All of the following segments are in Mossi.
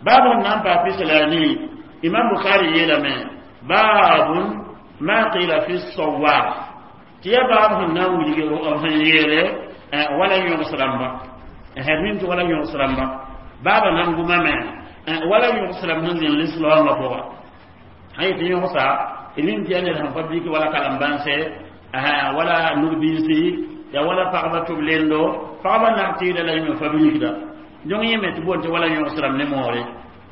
Baab sẽn na n paa pis la a nii, Imam Bukhari yeelame: baabun ma qila fi sawab, tɩ ya baab sẽn na n wilg sẽn yeele wala yõgs rãmba d mim tɩ wala yõgs rãmba baaba na n gʋmame wala yõgs rãmb sẽn zĩnd lislaoongã pʋga sã yetɩ yõgsa d mim tɩ yaa ned sẽn pa bik wala kalem-bãnse, wala nug-biisi ya, wala pagba tʋb lendo, pagba nak tɩɩda la yĩme fa bilgda. Donc yẽ me tɩ boond tɩ wala yõgs rãmb ne moore.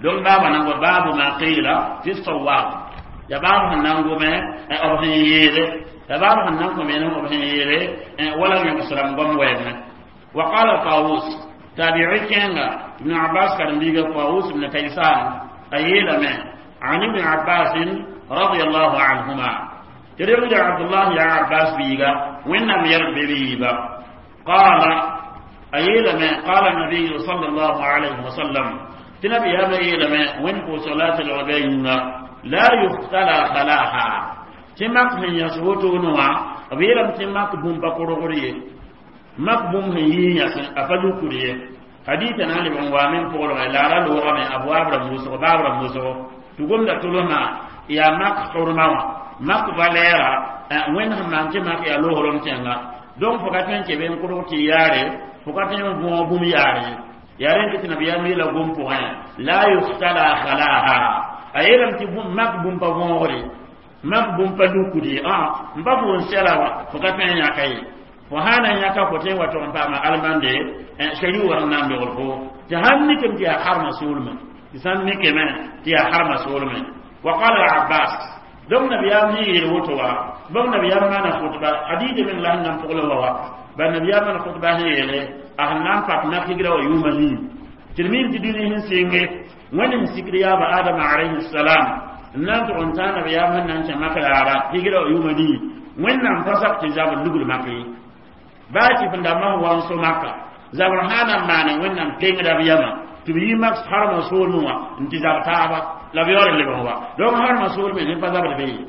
Donc baaba nan baabu ma qila fi sawab, ya baab sẽn na n gʋme b sẽn yeele, ya baab sẽn na n kõ me b sẽn yeele wala yõgs rãmb goam wɛɛngẽ. Wa qala Tawus, tabi'i kẽnga, Ibn Abbas karen-biiga Tawus ibn Kaysan a yeelame عن ابن عباس رضي الله عنهما تريد عبد الله يا عباس بيغا وإنم يربي بيبا قال أيلما قال النبي صلى الله عليه وسلم تنبي هذا أيلما وين صلاة العبين لا يختلى خلاها تمك من يسوتو نوا أبيلم تمك بوم بقرغري مك بوم هي يس أفجو كريه حديثنا لبن وامن فقر لا لا لغة من أبواب رموسو باب رموسو tugum da tulma ya mak hurma wa mak valera wẽnd sẽn maan tɩ mak yaa loogrom tẽnga. Donc fo ka tõe n kebe n kʋrg tɩ yaare, fo ka tõe n võog bũmb yaare ye. Yaa rẽnd tɩ nabiyaam yeela gom pʋgẽ: la yuftala khalaha. A yeelame tɩ mak bũmb pa võogre, mak bũmb pa lukd ye. N pa fo n sɛla wã, fo ka tõe n yãka ye. Fo sã na n yãka, fo tõe n wa tog n paama almande shari war n na n dogl fo tɩ sãn mikame tɩ yaa harma soolmã, tɩ sãn mikame tɩ yaa harma soolmẽ. Wa qala Abbas, donc nabiyaam sẽn yeel woto wa, bõmb nabiyaam maana khutba, hadith meng la sẽn na n pʋgl wa wa ba nabiyaam maana khutba sẽn yeele a sẽn na n pak mak higra wa yʋʋma nii tɩ d mim tɩ dũni sẽn sɩnge wẽnd sẽn sikd yaaba Adama alayhi salam n na n tʋg n tãag nabiyaam sẽn na n kẽ mak raara higra wa yʋʋma nii. Wẽnnaam pa sak tɩ zabr lugl mak ye, baa tɩ fẽn dãmbã sẽn wa n so maka zabr sã na n maane wẽnnaam pengda b yama tɩ b yi mak harma soolmẽ wã n tɩ zab taaba la b yaool n lebg wa. Donc harma soolmẽ ne pa zabd be ye.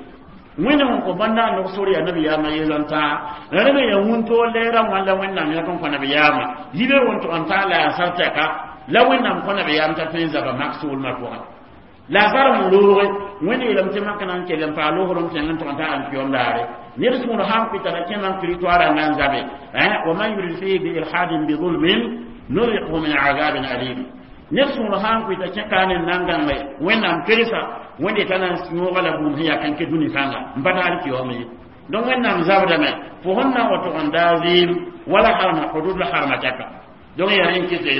Wẽnd sẽn kõ bãnda n nog sor yaa nabiyaamã yezãn-tãa la rẽ me yaa wũntoor leerã wãn la wẽnnaam yãk n kõ nabiyaamã yibe wʋn-tog n taa la yaa sar tɛka la wẽnnaam kõ nabiyaam t'a tõe n zaba mak soolmã pʋgẽ la a sar sẽn looge. Wẽnd yeelame tɩ mak na n kell n paa loosrem tẽng n tog n taa alkiyom daare. Ned sũur sã n pɩta ra kẽ man territoire n na n zabe wa man yurid fihi bi ilhadin bi zulmin nuriqhu min azabin alim. Ned sũur sã n pɩta kẽ kaa ne n na n gãnge wẽnnaam kelsa, wẽnde t'a na n yõoga la bũmb sẽn yaa kãnkɛ dũni kãnga n pa taar kiyom ye. Donc wẽnnaam zabdame fo sẽn na n wa tog n daa zɩɩm wala harma hudud la harma tɛka. Donc yaa rẽn kɩte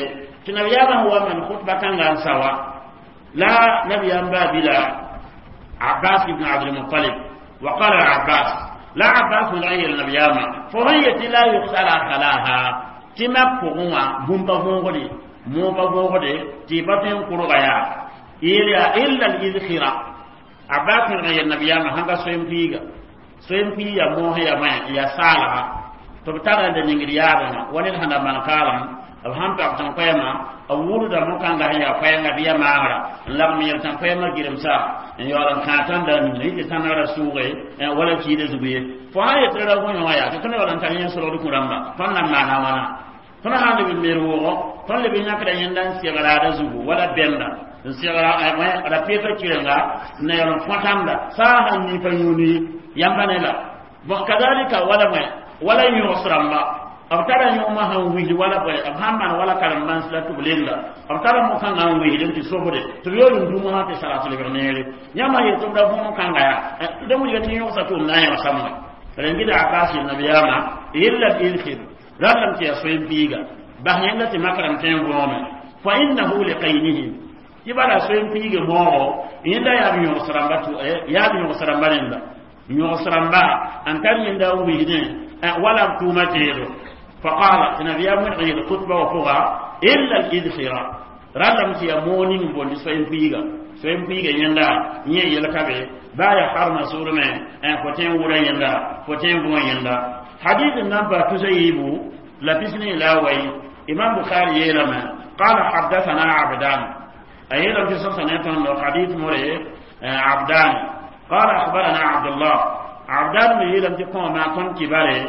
tɩ nabiyaamã sẽn wa maan khutba kãnga n sa wa la nabiyaam baa bila Abbas ibn Abdulmutalib. Wa qala Abbas, la Abbas sẽn la n yeel nabiyaamã fo sẽn yetɩ la yugsala khalaha, tɩ mak pʋgẽ wã bũmb pa võogde, moog pa võogde, tɩ y pa tõe n kʋrga yaa yeel yaa illa al-idkhira. Abbas sẽn yeel nabiyaamã sãn ka soem-piiga, soem-piig ya moos ya mã ya saalga tɩ b tara n da ningd yaabẽ wã wa ned sẽn da maan kaalem b sãn pag tãn-koɛɛmã b wʋrda mo-kãngã sẽn yaa koɛɛngã bɩ ya maagra n lagm yel tãn-koɛɛmã gɩremsa n yaool n kãag tãnda ningã yɩ tɩ tãngrã sʋʋge wala kiida zug ye. Fo sã yetɩ ra gõ wã yaa tɩ tõnd yaool n tar yẽ solgd kũ rãmba tõnd na n maana wãna. Tõnd sã n leb n mer wʋʋgo, tõnd leb n yãkda yẽnda n segraada zugu wala bɛmda n segra ra peeta kirenga n na yaool n fõ tãmda saa sãn nii pa yũuni yãmba ne la. Bon, kadalika wala wẽ wala yõgs rãmba b tara yõgmã sẽn wisd wala bõe b sãn maan wala karen-bãns la tɩ b lenda b tara mo-kãngã n wisd n tɩ sobde tɩ b yool n dũmã tɩ salat lebg neere. Yãmba yet tɩ b ra võom kãnga yaa da wilga tɩ yõgsa tʋʋm na n yõgsame rẽn gɩda Abbas yel nabiyaamã illa idkhir rallame tɩ yaa soen-piiga bas yẽnda tɩ mak rãmb tõe n võome fa innahu liqaynihi tɩ bala soen-piiga moogo yẽnda yaa b yõgs rãmba, yaa b yõgs rãmba rẽnda yõgs rãmba n tar yẽnda n wisdẽ wala b tʋʋma teedo. فقال نبي من غير خطبة وفغا إلا الإذخرة رالم تي مونين بوندي سوين بيغا سوين بيغا يندا ني يلكابي بايا حرم سورمه ان فوتين ورا يندا فوتين بو يندا. حديث النبا تسيبو لبسني لا وي إمام بخاري يلما قال حدثنا عبدان أيضا في سنة حديث مري عبدان قال أخبرنا عبد الله عبدان يلم تقوم ما كن كباري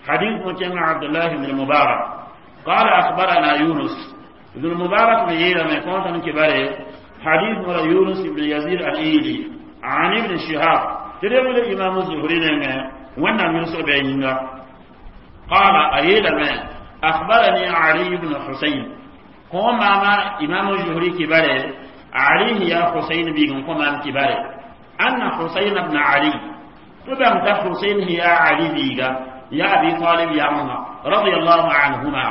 حديث مجمع عبد الله بن المبارك قال أخبرنا يونس بن المبارك بيلا ما كنت كباري. حديث مرا يونس بن يزيد الإيلي عن ابن شهاب تريد الإمام الزهري وانا من سبعين قال أريد ما أخبرني علي بن حسين كما ما إمام الزهري كباره علي يا حسين بن كما كباره أن حسين بن علي تبعت حسين هي علي بيغا يا أبي طالب يا عمر رضي الله عنهما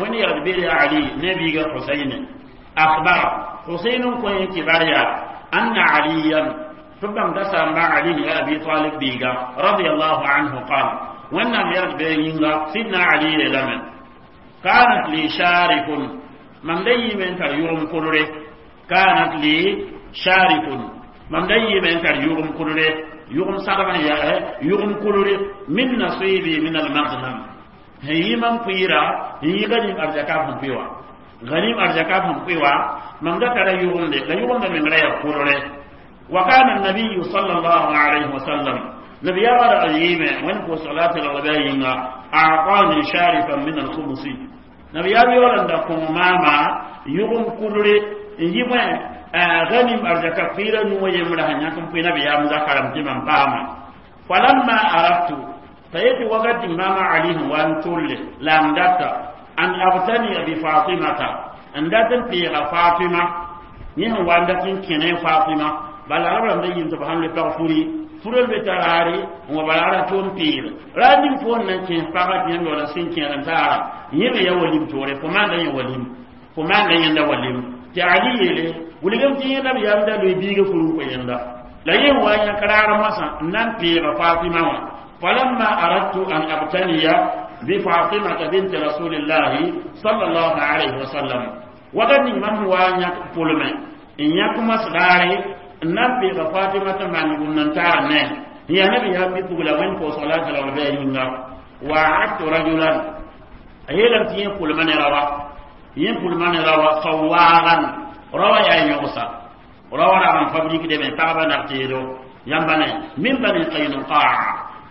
وين يربي علي نبي حسين أخبر حسين كوين كباريا أن عليا تبعت سامع علي يا أبي طالب بيغا رضي الله عنه قال وانا يربي سيدنا علي لمن كانت لي شارف من لي من تريوم كرره كانت لي شارف من لي من تريوم كرره يغم سرما يا يغم كرره من نصيبي من المغنم هي من قيرا هي غنيم أرزكا هم بيوا غنيم أرزكا هم بيوا من ذكر يغم لا يغم من غير كرره وكان النبي صلى الله عليه وسلم نبي يرى أيما وين صلاة الغباء أعطاني شارفا من الخمس نبي يرى أن ماما يغم كرره يبقى غنم أرزك قيرا نويمرها نيكم في نبي يا مذكرم تمام فاهما فلما أردت فيتي وقت ماما عليه وان تول لام داتا أن أبتني بفاطمة أن داتن في فاطمة نيه وان داتن كنين فاطمة بل عرب لم يجن تبهم لبغفوري furel be tarare wa balara ton pir ranin fo nan ken paga tiyan wala sin ken ran tara yebe ya walim tore fo man dan ya walim fo man dan yanda walim ti ali yele wuligam ti yenda bi yamda lo biga furu ko yenda la yen wa nya karara masa nan pira fatima wa falamma aradtu an abtaniya bi fatima bint rasulillah sallallahu alaihi wasallam wadani man wa nya pulme in ya kuma sdare nan pira fatima ta man gunnan tara ne ya nabi ya bi pugula wen ko salatu la wa yinga wa atu rajulan ayelam ti yen pulme ne rawa yen pulme ne rawa sawaran rawa ya yogsa rawa ra man fabrique de me pagba na teedo yamba ne min bani qaynuqa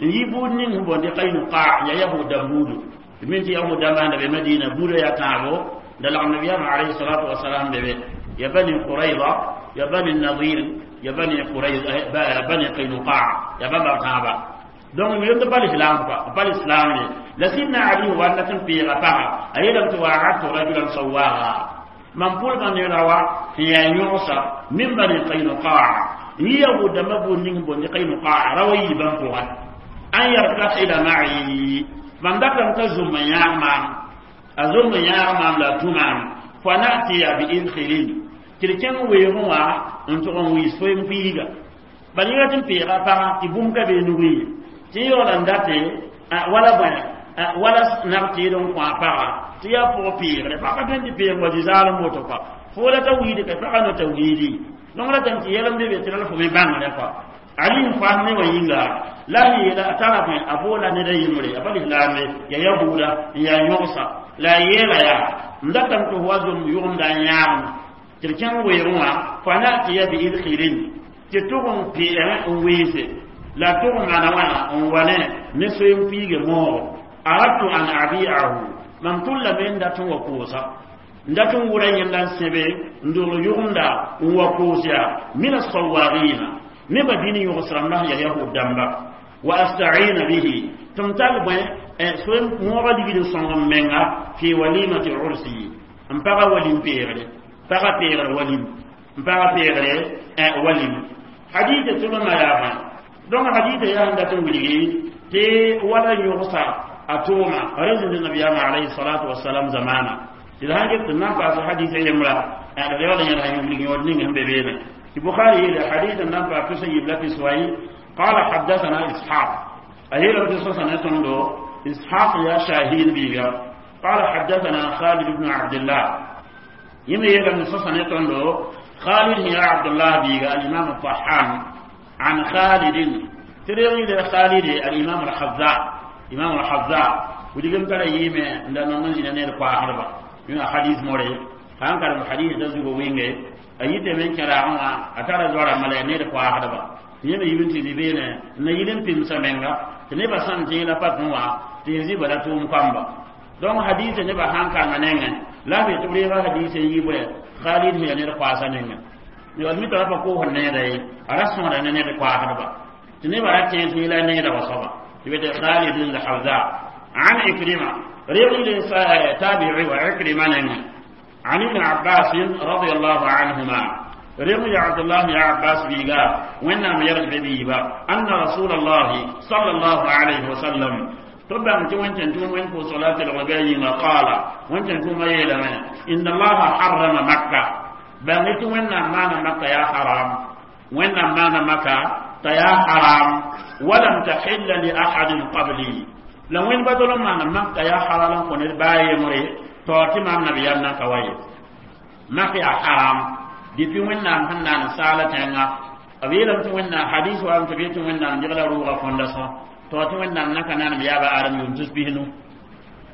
yi bud ning bon di qaynuqa ya yahuda budu min ti yahuda ma be madina budo ya taabo da la nabiya alayhi salatu wassalam be ya bani qurayza ya bani nadir ya bani qurayza bani qaynuqa ya baba taaba donc mi yonde bal islam quoi bal islam ne la sidna ali wa lakin fi rafa'a aydan tuwa'atu rajulan sawwaha man pʋlgã ne rawa sẽn yaa yõgsa min bani qaynuqaa yahuda ma buud ning bondi qaynuqaa rawa yiibã pʋga an yartaxila ma'i mam datame t'a zʋm n yãag maam a zʋm n yãag maam la a tũ maam fa natiya bi idkhilin tɩ d kẽng weoogẽ wã n tʋg n wiis foem piiga bal yẽga tɩ n peega pagã tɩ bũmb ka bee nugẽ ye tɩ yaoola n date wala bõe wala nag tɩɩd n kõ a pagã tɩ yaa pʋg peegre pagã tõe n tɩ peeg wa zĩ-zaalem woto kɔa fo la ta wiidi ka pagã no ta wiidi donc la tɩ yɛlem be be tɩ la fo me bãngre kɔa ali n faam ne wa yĩnga la a yeela a tara bõe a boola ned a yembre a pa lislaambe ya yahuuda n yaa yõgsa la a yeela yaa n datame tɩ fo wa zom yʋgemda n yãagme tɩ d kẽng weoogẽ wã fa natiya bi idkhirin tɩ tʋg n peẽ n weese la tʋg n maana wãna n wa ne ne soe n piige moogo aradtu an abi'ahu mam tʋllame n dat n wa koosa n dat n wʋra yẽnda n sẽbe n dogl yʋgemda n wa koos yaa min asawagina nebã dĩn yõgs rãmba sẽn yaa yahud dãmba wa asta'ina bihi tɩ m tall bõe soe moogã ligd n sõng m menga fi walimati ursi n paga walim peegre paga peegre walim n paga peegre walim hadita tʋlmã yaa bõe donc hadita yaa sẽn dat n wilgi tɩ wala yõgsa a tʋʋma rẽnd nabiyaamã alayhi salatu wasalam zamana tɩ d sãn get tɩ nan paas hadisa yembra d yaool yẽd sã wilg yõod ning sẽn be beene tɩ bukhari yeele hadisa n nan paas tus n yib la piswai قال حدثنا إسحاق أهيلا بتصوصا نتندو إسحاق يا شاهين بيغا قال حدثنا خالد بن عبد الله يما يلا نصوصا نتندو خالد يا عبد الله بيغا الإمام الطحان عن خالد تريغي خالد الإمام الحذاء إمام الحذاء ودي ترى يمه عندنا ننزل نير قاهربا ينا حديث موري كان كان حديث دزو وينغي ayite men kɛra wã a tara zoara mala ned koasdba yẽme yibn tɩ beene na yil n pimsa menga tɩ nebã sãn tẽeg la pa wã tɩ yẽ zĩ bala tʋʋm kãmba donc hadisa nebã sãn kanga nengẽ la b tɩ b reega hadisa n yi bõe Khalid hiya ned koaasa ninga yol mi tara pa koosd needa ye a ra sõoda ne ned koaasdba tɩ nebã ra tẽes yẽ la needa wa soaba tɩ be tɩ Khalid al-Hazza an Ikrima رغي تابعي وعكرمة عن ابن عباس رضي الله عنهما رغي عبد الله يا عباس بيغا وإنما يرجع بيبا أن رسول الله صلى الله عليه وسلم تبع وانت تون وين صلاة الغداء ما قال وانت تون إن الله حرم مكة بغيت وين ما مكة يا حرام وين ما مكة يا حرام ولم تحل لأحد قبلي la wẽnd ba dol n maan mak yaa halal n kõ ned baa yembre taoor tɩ maam nabiyaam na n ka wa ye mak yaa haram depuis wẽnnaam sẽn naan saala tẽnga b yeelame tɩ wẽnnaam hadis wa tɩ b yetɩ wẽnnaam degla rʋʋga fondation taoor tɩ wẽnnaam na ka naanam yaaba adam yʋʋm tus bisnu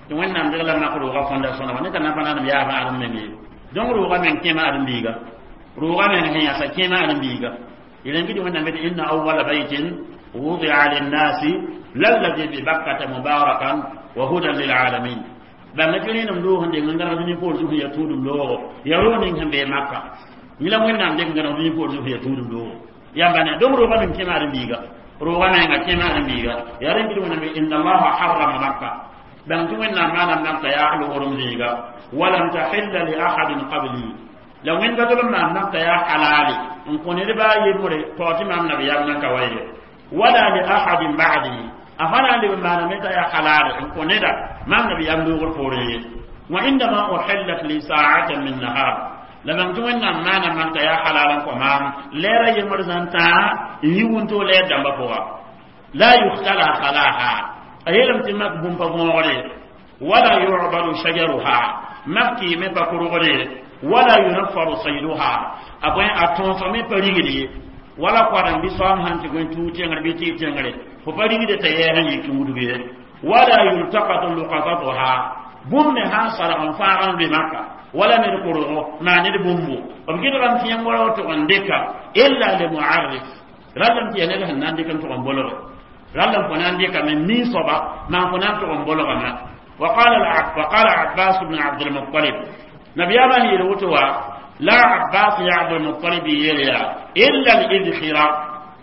tɩ wẽnnaam degla mak rʋʋga fondation wa ne ka na pa naanam yaaba adam meng ye donc rʋʋga meng kẽema ãdem-biiga rʋʋga meng sẽn yãsa kẽema ãdem-biiga yel n gɩd wẽnnaam bete inna awala baytin وضع للناس للذي ببكة مباركا وهدى للعالمين bãmba tɩ rẽenem loog n deng n gãneg dũni poor zug ya tũudum loogo ya roog ning sẽn bee maka yẽla wẽnnaam dek n gãneg dũni poor zug ya tũudum loogo yãmba ne donc rooga meng kẽma ãdem-biiga rooga menga kẽma ãdem-biiga yaa rẽnd tɩ wẽnnaam inna allaha harrama makka bãng tɩ wẽnnaam maanam makka yaa loogdem zĩiga walam tahilla li ahadin qabli la wẽnd ka tol n maan makka yaa halali n kõ ned baa yembre taoor tɩ maam nabiyaam nan ka wa ye ولا لأحد بعدي أفلا لما نمت يا حلال إن كندا ما النبي يملوغ الفوري وعندما أحلت لي ساعة من نهار لمن تونا ما نمت يا حلال كمام لا رأي مرزانتا يونتو لا دم بوا لا يختلى خلاها أيلم تمك بوم ولا يعبد شجرها مكي مبكرغري ولا ينفر صيدها أبوين أتونسمي بريغلي wala koadang bɩ soam sãn tɩ gõe tuug tẽngr bɩ tɩɩg tẽngre fo pa rigde t'a yɛɛs n yik wudg ye wala yultakatu lukatatuha bũmb me sãn sarg n fãag n loe maka wala ned korgo maa ned bũmbo b gɩdgame tɩ yãmb wala tʋg n dɩka illa limuarrif rallame tɩ yaa ned sẽn na n dɩk n tʋg n bolge rallame fo na n dɩkame nin soaba maan fo na n tʋg n bolgame وقال عباس بن عبد المطلب نبياما هي الوتوى لا عباس يا عبد المطلب يليا إلا الإذخرة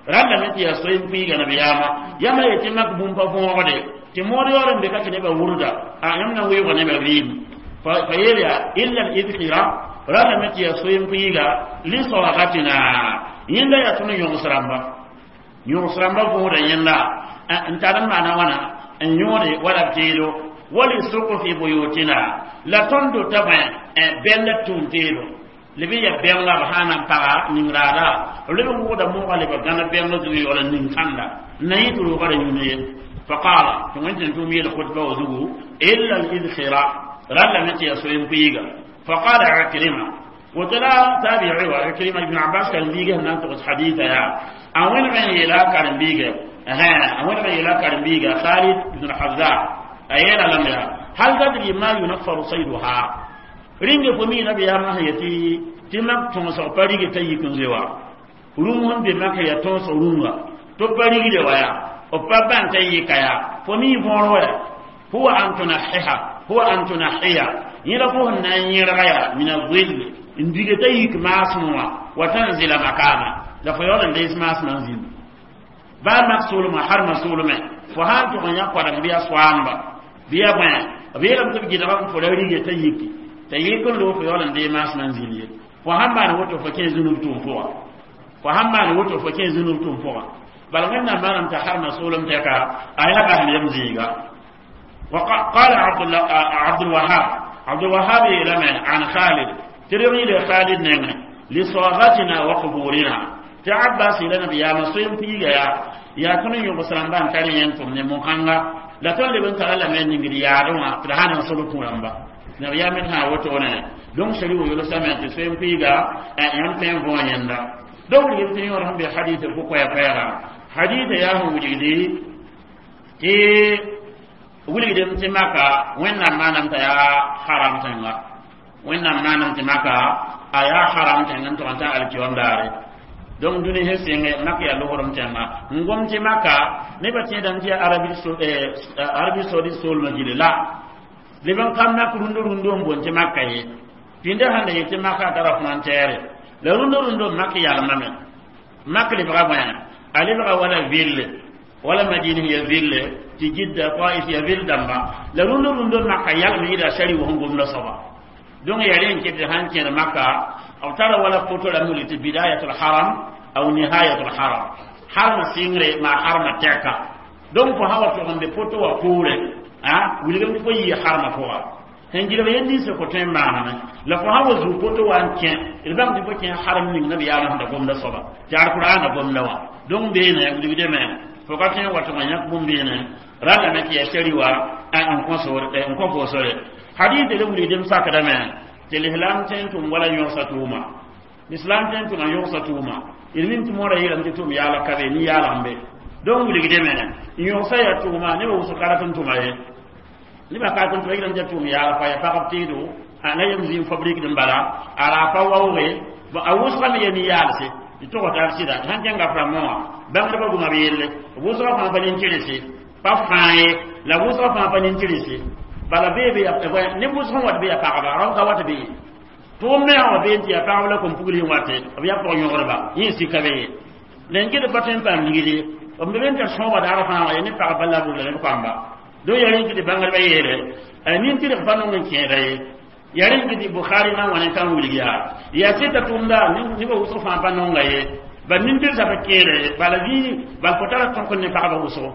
رلا متي يسوين في نبياما يما يتمك بومبا فوغدي تموري ورن بك تنبا وردا أيمنا ويغ نبا ريم فيليا إلا الإذخرة رلا متي يسوين في لصلاغتنا يندا يتوني يونسرامبا يونسرامبا فوغدا يندا انت معنا وانا ان يوري ولا بتيلو ولسقف بيوتنا لا تندو تبع بل تونتيلو leb n ya bɛngla b sã na n paga ning-raada leb n wʋgda moogã leba gãna bɛngla zugu yaool n ning-kãnda na yẽ tɩ roogã ra yũne ye faqala tɩ wẽn tʋʋm yeel khutba wa zugu illa al-idkhira rallame tɩ yaa soen-kuiiga faqala Ikrima woto la tabi'i wa Ikrima ibn Abbas karen-biigã sẽn na n togs haditha yaa a wẽneg n yeela a karen-biiga a wẽneg n yeela a karen-biiga Khalid ibn Hazza a yeela lame yaa hal tadri ma yunaffaru sayduha ringe fo mi nabiyaamã sẽn yetɩ tɩ mak tõosg pa rig t'a yik n zoe wa rũm sẽn be mak ya tõosg rũnga tɩ b pa rigde wa yaa b pa bãn t'a yɩka yaa fo mi võor wa huwa an tunahiha huwa an tunahiya yẽla fo sẽn na n yẽrga yaa min azill n dig t'a yik maasem wã wa tanzila makama la fo yaool n dees maasmã n zĩnd baa mak soolmã harmã soolmẽ fo sã n tʋg n yã koadem bɩ ya soaamba bɩ ya bõe b yeelame tɩ b gɩdgame fo ra rige t'a yiki t'a yik n loog fo yaool n dee maasmã n zĩnd ye fo sãn maan woto fo kẽ zũnub tʋʋm pʋga fo sãn maan woto fo kẽ zũnub tʋʋm pʋga bala wẽnnaam maanam t'a harmã soolem tɛka a yaa basem yem zĩiga وقال عبد الوهاب عبد الوهاب لما عن خالد ترغي لخالد نعم لصاغتنا وقبورنا تعباس إلى نبي يا مسلم في يا يا كن يغسران بان كان ينتم نموخانغا لا تولي بنت على من نغري يا روا ترهان سلوكو رamba nabiya men ha woto ne donc shari wo yolo sama te soyem piiga yãmb tõe n võo yẽnda donc yel tɩ yõor sẽn be hadith fo koɛɛ koɛɛga hadith yaa sẽn wilgdi tɩ wilgdem tɩ maka wẽnnaam maanam t'a yaa haram tẽnga wẽnnaam maanam tɩ maka a yaa haram tẽng n tʋg n tã alkiyom daare donc dũni sẽn sɩnge mak yaa logrem tẽnga n gom tɩ maka nebã tẽedame tɩ yaa Arabie Saoudite soolmã gilli la leb n kam mak rũndã rũndã n boond tɩ maka ye. Pĩndã sãn da yetɩ maka tara frontière la rũndã rũndã mak yalmame mak lebga bõe a lebga wala ville wala madina ya ville tɩ Jidda Taif ya ville dãmba la rũndã rũndã maka yalm yɩɩda sari wʋsẽ gomda soaba donc ya rẽn ket sãn kẽer maka b tara wala poto rãmb wili tɩ bidayatul haram aw nihayatul haram harma sɩngre maa harma tɛka donc fo sã wa tʋg n be poto wã poorẽ a wilgem tɩ fo yɩ harma pʋga sẽn gilg yel nins fo tõe n maaname la fo sã wa zuu poto wa n kẽ d bãng tɩ fo kẽ harem ning nabiyaamã sẽn da gomda soaba tɩ alqur'ana gomda wã donc beene wilgdame fo ka tõe n wa tʋg n yãk bũmb beene rãndame tɩ yaa shari wa n kõ fo sore hadith le wilgdem sakdame tɩ lislam tõe n tʋm wala yõgsa tʋʋma islam tõe n tʋma yõgsa tʋʋma d mim tɩ moorã yeelame tɩ tʋm yaala ka be nin-yaal n be donc wilgdame n yõgsa yaa tʋʋma nebã wʋsg ka rat n tʋma ye nebã ka rat n tʋma yelame tɩ tʋʋm yaala pa ya pagb teedo la yem zĩig fabrique n bala a raa pa waooge a wʋsgame ya nin-yaalse tɩ tog tar sɩda sãn kẽnga frãmbã wã bãngdbã goma b yelle wʋsgã fãa pa nin-tɩrse pa fãa ye la wʋsgã fãa pa nin-tɩrse bala bee be neb wʋsg n wat be ya pagba rao ka wat be ye tʋʋm me wa bee n tɩ ya pagb la kom-pugl wate b yaa pʋg-yõgdba yẽ sika be ye la n ged pa tõe n paam ligd ye b me n tar sõoba daar fãa wã ya ne pagb la bʋ la neb kãmba donc yaa rẽn tɩ bãngdbã yeele nin-tɩrg pa nong n kẽeda ye yaa rẽn tɩ Bukhari na n wa ne tãn wilg yaa yaa sɩta tʋʋmda nebã wʋsg fãa pa nonga ye bal nin-tɩrsa pa kẽeda ye bala zĩ bal fo tara tõk ne pagba wʋsgo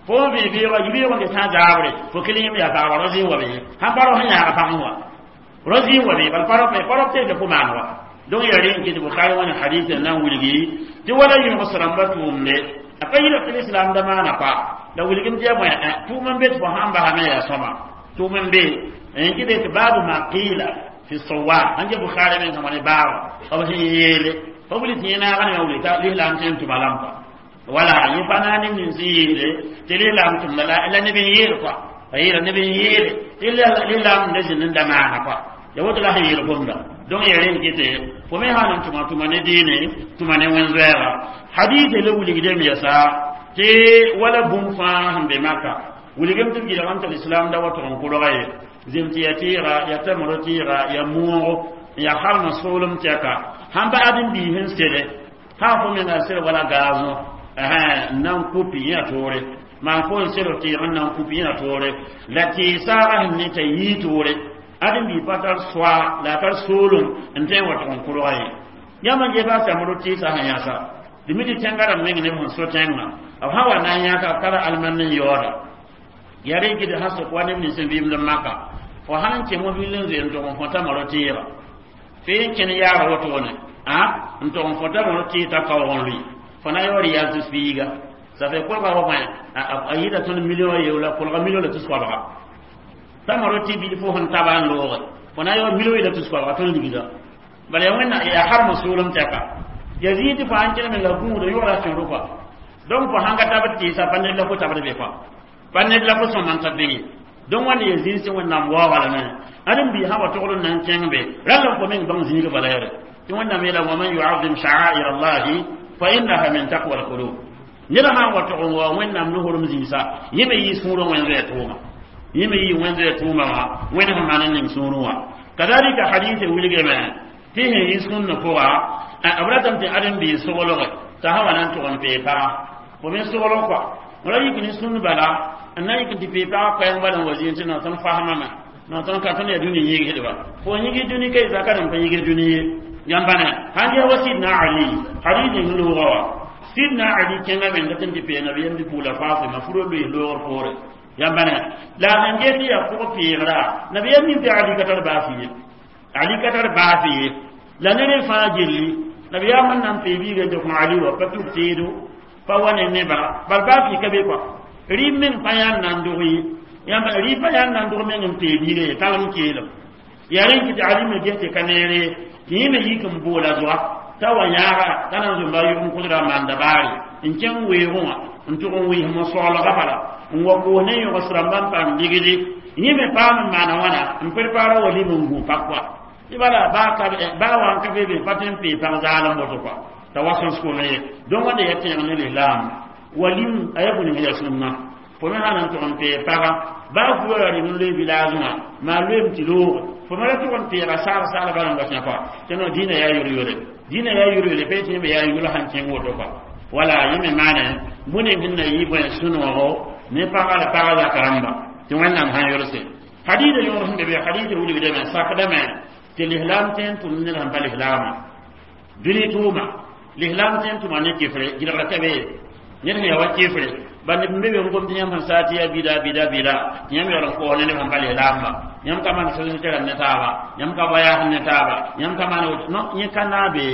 fo n vẽ beoogã yibeoog n sã n zaabre fo kell yẽmb yaa pagba rao zĩ wa be sãn pa rao sẽn yãaga pagẽ wa rao zĩ wa be bal pa rao pa rao teesã fo maan wa donc yaa rẽn kɩ tɩ Bukhari wã ne hadith n na n wilgi tɩ wala yõgs rãmbã tʋʋmde a pa yɩla tɩ lislam da maana pa la wilgem tɩ yaa bõe tʋʋm n be tɩ fo sãn basame yaa sõma tʋʋm n be n kɩ tɩ baabu ma qila fi sawa sãn get Bukhari meng sã wã ne baaba b sẽn yeele fo wilg tɩ yẽ naaga ne wili t'a lislam tõe n tʋma lampa wala yẽ pa na neb nins n yeele tɩ lislam tʋmda la neb n yeel kɔa a yeela neb n yeele tɩ lislam da zĩnd n da maana kɔa ya woto la sẽn yeel gomda donc ya rẽn kɩtɛ fo me sã n tʋma tʋma ne dĩine tʋma ne wẽn-zoɛɛga hadith le wilgdem yɛsa tɩ wala bũmb fãa sẽn be maka wilgem tɩ b gɩdgame tɩ lislam da wa tʋg n kolga ye zem tɩ ya tɩɩga ya tamro tɩɩga ya moogo n ya halmã soolem tɛka sãn ba ãdem-biis n sele sã fo menga sel wala gaazõ n na n kupi yẽ toore maan fo n sel tɩɩg n na n kupi yẽ toore la tɩɩ saaga sẽn ne t'a yii toore ãdem-bii pa tar soa la a tar soolem n tõe n wa tʋg n kolga ye yãmb n ges a samro tɩɩsa sẽn yãsa dɩ mi tɩ tẽngã rãmb meng neb sẽn so tẽngã b sã wa na n yãka b tara almand n yaooda yaa rẽ kɩ tɩ sã sok wa neb nins n vɩɩmd maka fo sãn n kẽ mobil n zoe n tʋg n fõta maro tɩɩga fee n kẽn yaara wotone a n tʋg n fõta maro tɩɩg t'a kaoog n lʋɩ fo na yaoor yal tɩ fiiga ça fait kolga wa bõe a yɩɩda tõnd million yeoola kolga million la tus koabga t'a maro tɩ bil fo sẽn taba n looge fo na yaoor million la tus koabga tõnd ligda bala ya wẽnna yaa harma soolem tɛka ya zĩig tɩ fo sãn kẽne menga gũuda yʋgra sẽro kɔa donc fo sãn ka tabd tɩɩsa pa ned la fo tabd be kɔa pa ned la fo sõma n ta be ye donc wãnd ya zĩig sẽn wẽnnaam waooga lame ãdem-biis sã wa togl n na n kẽng be rãll fo meng bãng zĩig bala yɛre tɩ wẽnnaam yeela waman yuazim sha'air allahi fa innaha min taqwa alqulub ned sã n wa tog n wa wẽnnaam nosrem zĩisa yẽ me yɩ sũurã wẽn-zoɛɛ tʋʋma yẽ me yɩ wẽn-zoɛɛ tʋʋma wã wẽnd sẽn maan n ning sũurẽ wã kadalika hadith wilgame tɩ sẽn yɩ sũnna pʋga b ratame tɩ ãdem-biis soglge t'a sã wa na n tʋg n pee paga fo me soglg kɔa ra yik ne sũnd bala n na yik tɩ pee pagã koɛɛng bala n wa zĩig tɩ no tõnd fasmame no tõnd ka tõnd yaa dũni yɩgsdba fo yĩgis dũni ka zaka rẽm pa yĩgis dũni ye yãmb bãna sãn ges wa Sidna Ali hadith ning loogã wa Sidna Ali kẽngame n dat n tɩ pee nabiyam bɩ-pugla Fatima furo loees loogr poore yãmb bãna la a sẽn ges tɩ yaa pʋg peegra nabiyam nin tɩ Ali ka tar baasi ye Ali ka tar baasi ye la ned fãa gilli nabiyaam n na n pee biiga n tɩ kõ Ali wa pa tuk teedo pa wa ne neba bal baa fɩ ka be kɔa rɩ meng pa yãan na n dog ye yãmb rɩ pa yãan na n dog meng n pee biiga ye talem keelem yaa rẽn kɩ tɩ Ali me ges tɩ ka neere tɩ yẽ me yik n boola zoa t'a wa yãaga t'a na n zũmba yʋg n kʋsda n maanda baare n kẽng weoogẽ wã n tʋg n wɩɩsem n soaalga bala n wa koos ne yõgs rãmba n paam ligdi yẽ me paam n maana wãna n prepara wa lim n gũ pak kɔa tɩ bala baa wa n ka be be pa tõe n pee pag zaalem woto kɔa t'a wa sõs-kome ye donc wãnda ya tẽeg ne lislaam walim a yaa bũni ya sũnna fo me sã na n tʋg n pee paga baa fuga ra rɩm n loe village wã maa loeem tɩ looge Fo mara tʋg n peega saal saal bala n wa kẽ kɔa tɩ no dĩinã yaa yor-yore, dĩinã yaa yor-yore pa yetɩ yẽmbe yaa yʋl sãn kẽng woto kɔa. Wala yẽ me maane bũni sẽn na yɩ bõe sũ-noogo ne pagã la pagã zak rãmba tɩ Wẽnnaam sãn yolse. Hadiida yõor sẽn be be, hadiida wilgdame sakdame tɩ lislaam tõe n tʋm ned sẽn pa lislaamã dũni tʋʋma. Lislaam tõe n tʋma ne kɩfre gɩlgra ka be ned sẽn ya wa kɩfre ba neb n be be n gom tɩ yãmb sẽn saa tɩ yaa bida bida bida, tɩ yãmb yaool n koos ne neb sẽn pa lislaamba, yãmb ka maan sẽn tɩ ne taaba, yãmb ka voyage ne taaba, yãmb ka maan no. Yẽ ka naabe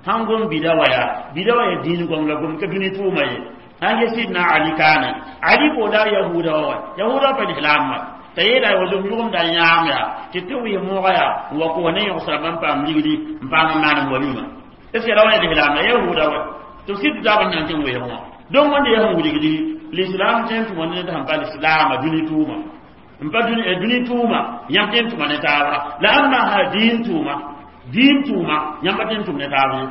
sãn gom bida wa yaa bida wa yaa dĩin gom la gom ka dũni tʋʋma ye. Sãn ge Sidna Ali kaane, Ali pooda yahuda wa yahuda pa lislaamba t'a yeela wa zom yʋgemda yãam yaa tɩ tɩ wɩɩ moogã yaa n wa koos ne yõgsrã n paam ligdi n paam n maan n walima. Est ce que ra wa ya lislaam la yahuda wa tɩ b sɩd taab n na n tɩ n weeg wã? Donc wẽnde yaa sẽn wilgdi l'islam tõe n tʋma ned sẽn pa lislaama dũni tʋʋma n pa dũni tʋʋma, yãmb tõe n tʋma ne taabra la ãmba sã dĩin tʋʋma, dĩin tʋʋma yãmb pa tõe n tʋm ne taab ye.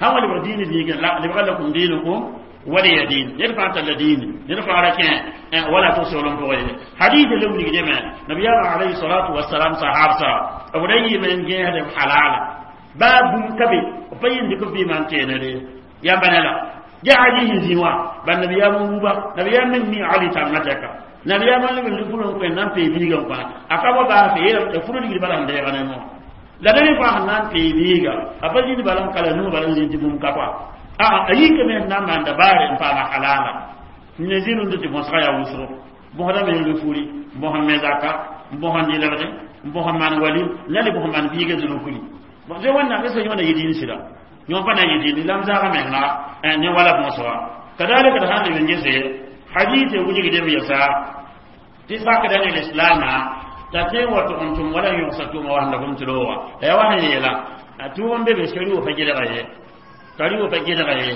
Sãn wa lebg diini zĩigẽ la lebga lakum diinukum waliya diin, ned fãa talla diini, ned fãa ra kẽ wala tɩ soolem pʋgẽ ye. Hadith le wilgdame nabiyaamã alayhi salatu wasalam sahabsa b ra yɩɩme n gẽesd b halala baa bũmb ka be b pa yĩnd dɩk b vɩɩmã n teenere yãmba ne la ja Ali sẽn zĩ wã ba nabiyaam n wuba nabiyaam meng mi Ali tangã tɛka nabiyaam n leb n lʋ furu n kõ n na n pee biigã n kõ a ka wa baase yeelame furu ligd bala sẽn deega ne wã la neb fãa sẽn na n pee biiga a pa zĩnd bala n kala nuu bala n zĩnd tɩ bũmb ka kɔa a a yikame sẽn na n maanda baare n paama halala ne zĩrũnd tɩ bõsga yaa wʋsgo bõsda me n furi bõs n me zaka bõs n dɩlgde bõs n maan walim la le bõs n maan biiga zũnu kuli zoe Wẽnnaam est ce que yõ na yɩ dĩin sɩda yõ pa na yɩ dĩin la m zaaga menga ne wala bõsga. Kadalika d sãn leb n gese hadith wilgdem yɛsa tɩ sakda ne lislaamã t'a tõe n wa tʋg n tʋm wala n yõgsa tʋʋma wa sẽn lagm tɩ looga la yaa wa sẽn yeela tʋʋg n be be sari pa gelga ye, sari pa gelga ye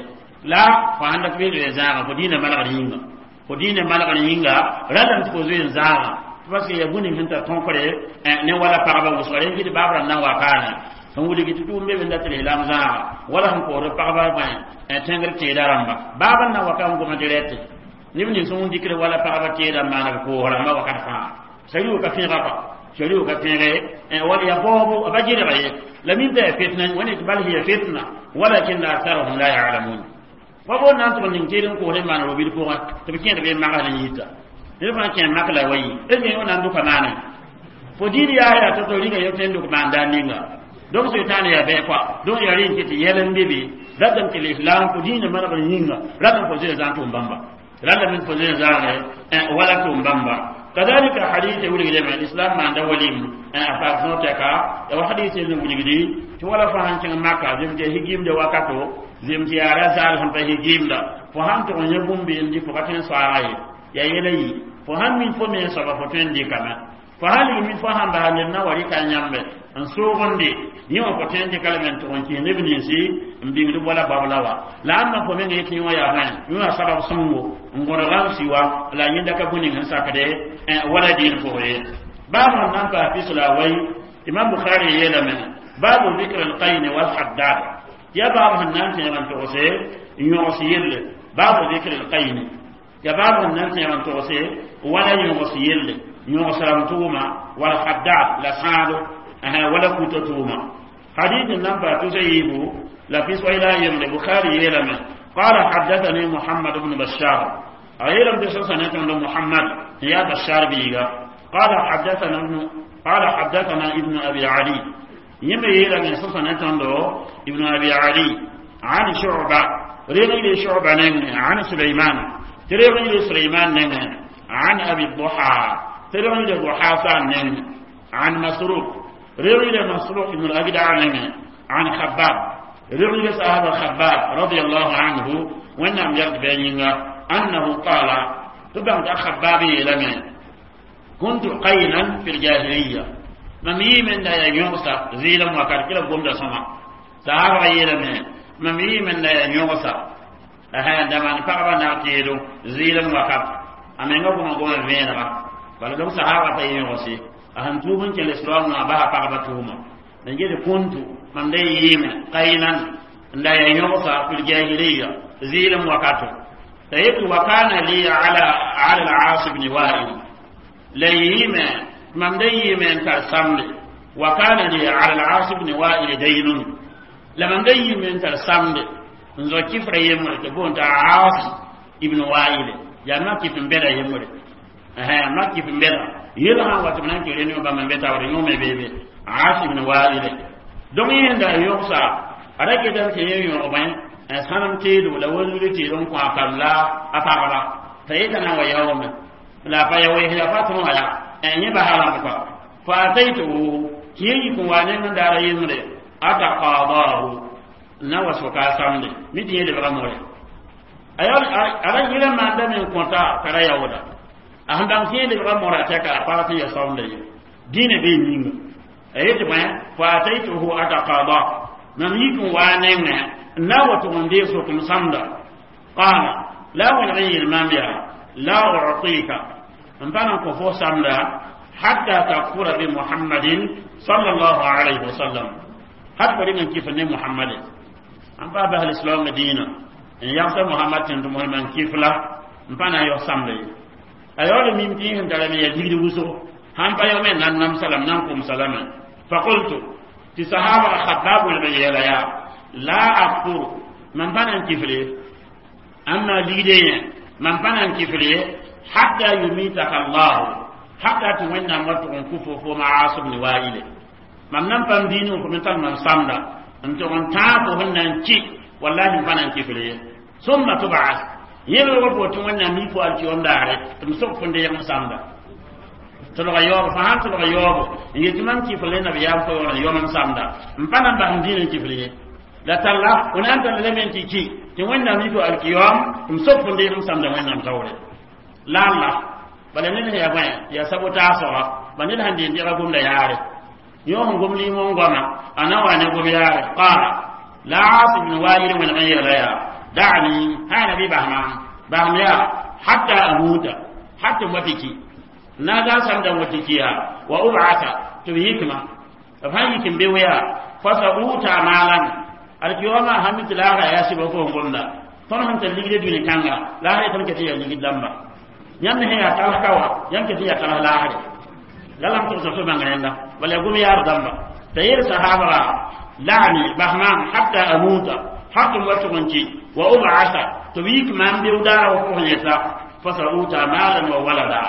la fo sãn dat beel zoe zãaga fo dĩinã malgr yĩnga, fo dĩinã malgr yĩnga ralame tɩ fo zoe n zãaga parce que ya bũni sẽn tar tõkre ne wala pagba wʋsga rẽ kɩ baab rãmb na n wa kaane sẽn wilgi tɩ tʋʋm be be n dat lislaam zãaga wala sẽn koosd pagba bõe tẽngr teeda rãmba baab n na wa ka n goma dirɛte neb nins sẽn dikr wala pagba teeda n maana b koos rãmba wakat fãa sari ka fẽega pa sari ka fẽege wala ya baoobo a ba gɩlga ye la min t'a ya fitna wẽnd tɩ bal hiya fitna walakin aktharuhum la ya'lamun. Wa bo na n tʋg ning teed n koos n maan robil pʋgẽ tɩ b kẽed be magsd n yita ned fãa kẽ mak la wa yi est ce que yõ na n dʋka maane fo dĩin yaa yaa tɩ to rĩnga yo tõe n dʋk maan daar ninga. Donc sʋɩtãan yaa bɛɛ kɔa donc yaa rẽ n kɩ tɩ yɛl n be be ratame tɩ l'islam fo dĩinã manegr yĩnga ratame fo zoe zãag tʋʋm bãmba ratame fo zoe zãage wala tʋʋm bãmba. Kadalika hadith wilgdame l'islam maanda walim a paas sõor tɛka ya wa hadith n wilgdi tɩ wala fo sãn kẽng Maka zem tɩ higimda wakato zem tɩ yaa ra zaal sẽn pa higimda fo sãn tʋg n yẽ bũmb n dɩ fo ka tõe n soaaga ye ya yɛla yi fo sãn min fo me soaba fo tõe n dɩkame fo sãn lig min fo sãn basa ned na wa rɩka yãmbe n soogende yẽ wã fo tõe n dɩka lame n tʋg n kɩs neb ninsi n bĩngd wala bab la wa la ãmba fo meng yetɩ yẽ wã yaa bõe yẽ wã sabab sõngo n gõdga n si wa la yẽnda ka bũ ning sẽn sakde wala dĩin pʋgẽ ye. Baab sẽn na n paas pis la a wai, Imam Bukhari yeelame baabu zikr alqayn walhaddad ya baab sẽn na n tẽeg n togse n yõgs yelle baabu zikr alqayn ya baab sẽn na n tẽeg n togse wala yõgs yelle yõgs rãmb tʋʋma walhaddad la sãado wala kuto tʋʋma. Hadith n na n paas tusa yiibu la pis wai la yembre Bukhari yeelame قال حدثني محمد بن بشار أيلم بسنة محمد يا بشار بيغا قال حدثنا ابن قال حدثنا ابن أبي علي يما يلا من سنة ابن أبي علي عن شعبة ريغي شعبة عن سليمان تريغي سليمان عن أبي الضحى تريغي الضحى عن مسروق ريغي مسروق بن الأجدع عن خباب ريغي صحابة خباب رضي الله عنه وإنهم يرد بيننا أنه قال تبعت خباب لمن كنت قينا في الجاهلية ممي من لا ينغص زيلا وكار كلا قوم دا سما صحابة يلمن ممي من لا ينغص أها دمان فقبا نعتيدو زيلا وكار أمين قوم قوم فينا بل لو صحابة ينغصي أهم توبن كان الإسلام ما بها فقبا توما نجد كنت من دي يمن قينا لا ينغص في الجاهلية زيلا وكاتو طيب وكان لي على العاص بن وائل ليما من دي من ترسمني Wa kana li ala al-Aas ibn Wa'il daynun, la mam da yɩ n tar samde n zao kifra yembre tɩ boond t'a Aas ibn Wa'ile, yaa mak kɩf n bɛda yembre, mak kɩf n bɛda yel sã n wa tɩ b na n kɩ réunion bãmb n be taoore yõme beebe Aas ibn Wa'ile. Donc yẽnda yogsa a ra ketame tɩ yẽ yõgmẽ sãnem teedo la wanzuri teedo n kõ a kam la a pagba t'a yeta na n wa yaoome la a pa ya wees ya pa tõe wã ya yẽ basa rãmb kɔa. Fa ataytuhu, tɩ yẽ yik n wa neng n daara yembre, ataqadahu, n na wa soka a samde mi tɩ yẽ lebga more a ra yɩla maanda me n kõta t'a ra yaooda a sẽn bãng tɩ yẽ lebga mora tɛka a pag tɩ ya saoonda ye dĩinã bee yĩnga a yetɩ bõe. Fa ataytuhu ataqada, mam yik n waa nengẽ n na n wa tʋg n deeg sokem samda. Qala, la a wẽneg n yeel maam yaa: la utika, n pa na n kõ fo samda, hatta takfura bi Muhammadin sallallahu alayhi wa sallam, hat fo rɩng n kɩf ne Muhammade. N pa bas lislaoongã dĩinã n yagsa Muhammad tẽn tɩ mosmã n kɩf la n pa na n yaos samda ye. A yaool mim tɩ yẽ sẽn tarame yaa ligd wʋsgo sãn pa yao me n na n namsa lame, na n komsa lame. Faqultu, tɩ sahaba Khabbab wẽneg n yeela yaa: la akfuru, mam pa na n kifle amma ligde yẽ, mam pa na n kifle hatta yumitaka Allahu, hatta tɩ Wẽnnaam wa tʋg n kʋ fo fo Aas ibn Waile. Mam nan paam diinẽ fo me tar mam samda n tʋg n tãag fo sẽn na n kɩ, wallahi n pa na n kifle ye. Summa tubas yẽlg fo tɩ Wẽnnaam mi fo alkiyom daare tɩ m sok fo n deeg m samda. Tɩlga yaoobo fo sãn tɩlga yaoobo n yetɩ mam kifle nabiyaam fo yaool n yom m samda, n pa na n bas m dĩinã n kifle ye. La talla fo na n tall lame n tɩ kɩ tɩ Wẽnnaam mi fo alkiyom tɩ m sok fo n deeg m samda Wẽnnaam taoore la alla. Bala ned sẽn yaa bõe yaa sabotaasga ba ned sãn deen dɩga gomda yaare yõ sẽn gom limõ n goama a na wa ne gom yaare. Qala la Aas ibn Wail wẽneg n yeela yaa: da'ni hãna bɩ basma basm yaa hatta amuta, hatta m wa tɩ ki na ga samda n wa tɩ ki yaa wa ub'asa tɩ b yikma b sãn yik n be yaa fa sa uta maalan alkiyoma sãn mi tɩ laasra yaa sɩbg fo n gomda tõnd sẽn tar ligd dũni kãnga laasra tõnd ket n yaa ligd dãmba yãmb sẽn yaa tals ka wa yãmb ket n yaa tals laasre la lam tʋgsa fo bãng rẽnda bala yaa gom yaar dãmba t'a yeel sahabra: la'ni, bas maam hatta amuta, hatta m wa tʋg n kɩ wa ub'asa tɩ b yik maam beo daara wa pʋgẽ yeta fa sa uta maalan wa walada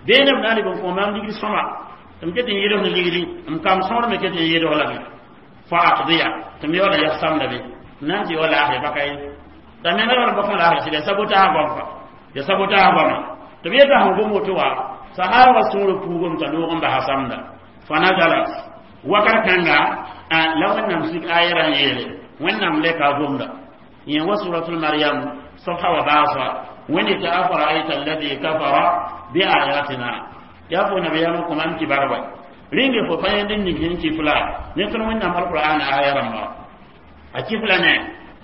beene b na n leb n kõ maam ligd sõma tɩ m ket n yeeds ne ligdi m kam sõor me ket n yeeds lame fa aqdiya tɩ m yaoola yas samda be n na n tɩ yao laasre baka ye t'a menga yaool bõk n laasre sɩda sabotaag goam fa ya sabotaag goama tɩ b yeta sẽn gom woto wa sahaba sũurã puugame t'a loog n basa samda. Fa nazalat wakat kãnga la Wẽnnaam sik ayɛra n yeele Wẽnnaam lɛka a gomda yẽ wa suratul Maryam safha wa baasa wẽnd tɩ afara'ayta alladi kafara bi ayatina yaa fo nabiyaamã kõmam kibar wa rĩnge fo pa yẽnd n ning sẽn kifla ne tõnd Wẽnnaam alqur'an aya rãmba a kifla ne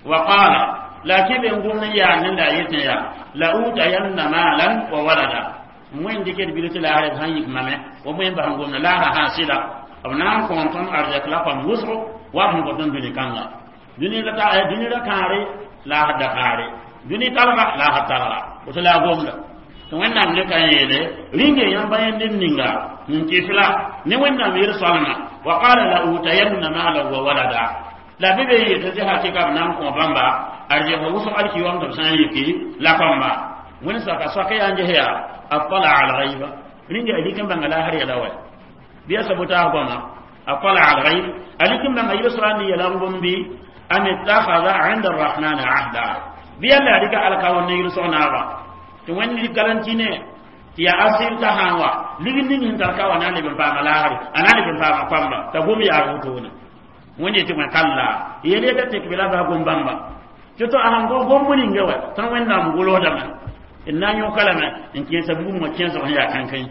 wa qala la kɩ be n gom n yaa nenda a yetẽ yaa la utayanna malan wa walada wẽnd dɩkd bil tɩ laasr b sãn yik mame wa wẽn bas n gomda laasra sã sɩda b na n kõon tõnd arzɛk la pam wʋsgo wa b sẽn kõ tõnd dũni kãnga dũni la dũni ra kãare laasr da kãare dũni talga laasr talga woto la a gomda tɩ Wẽnnaam leka n yeele rĩnge yãmba yẽnd n ninga n kɩfla ne Wẽnnaam yel-soalmã wa qala la utayanna malan wa walada la bɩ be yetɩ tɩ hakɩka b na n kõ bãmba arzɛk wʋsg alkiyom tɩ b sã n yiki la pãmba wẽnd saka soaka yaa n ges yaa attala alghaiba rĩnge a lik n bãnga laasr yɛla wa bɩ ya sabotaas goama attala alghaib a lik n bãnga yel-soa n yɛla n gom bɩ am ittakhadha inda arrahmani ahda bɩ yalla a rɩka alkaoor ne yel-sog naaba tɩ Wẽnd lik garanti ne tɩ yaa asɩr t'a sã n wa ligd ning sẽn tar ka wa na n leb n paama laasre a na n leb n paama pãmba t'a gom yaag wotone Wẽnd yetɩ wẽ kalla yel yeta tek bɩ la bas gom bãmba tɩ tɩ a sãn gom ninga wa tõnd Wẽnnaam golsdame n na n yõka lame n kẽesa bugum wã kẽesg sẽn yaa kãnkẽ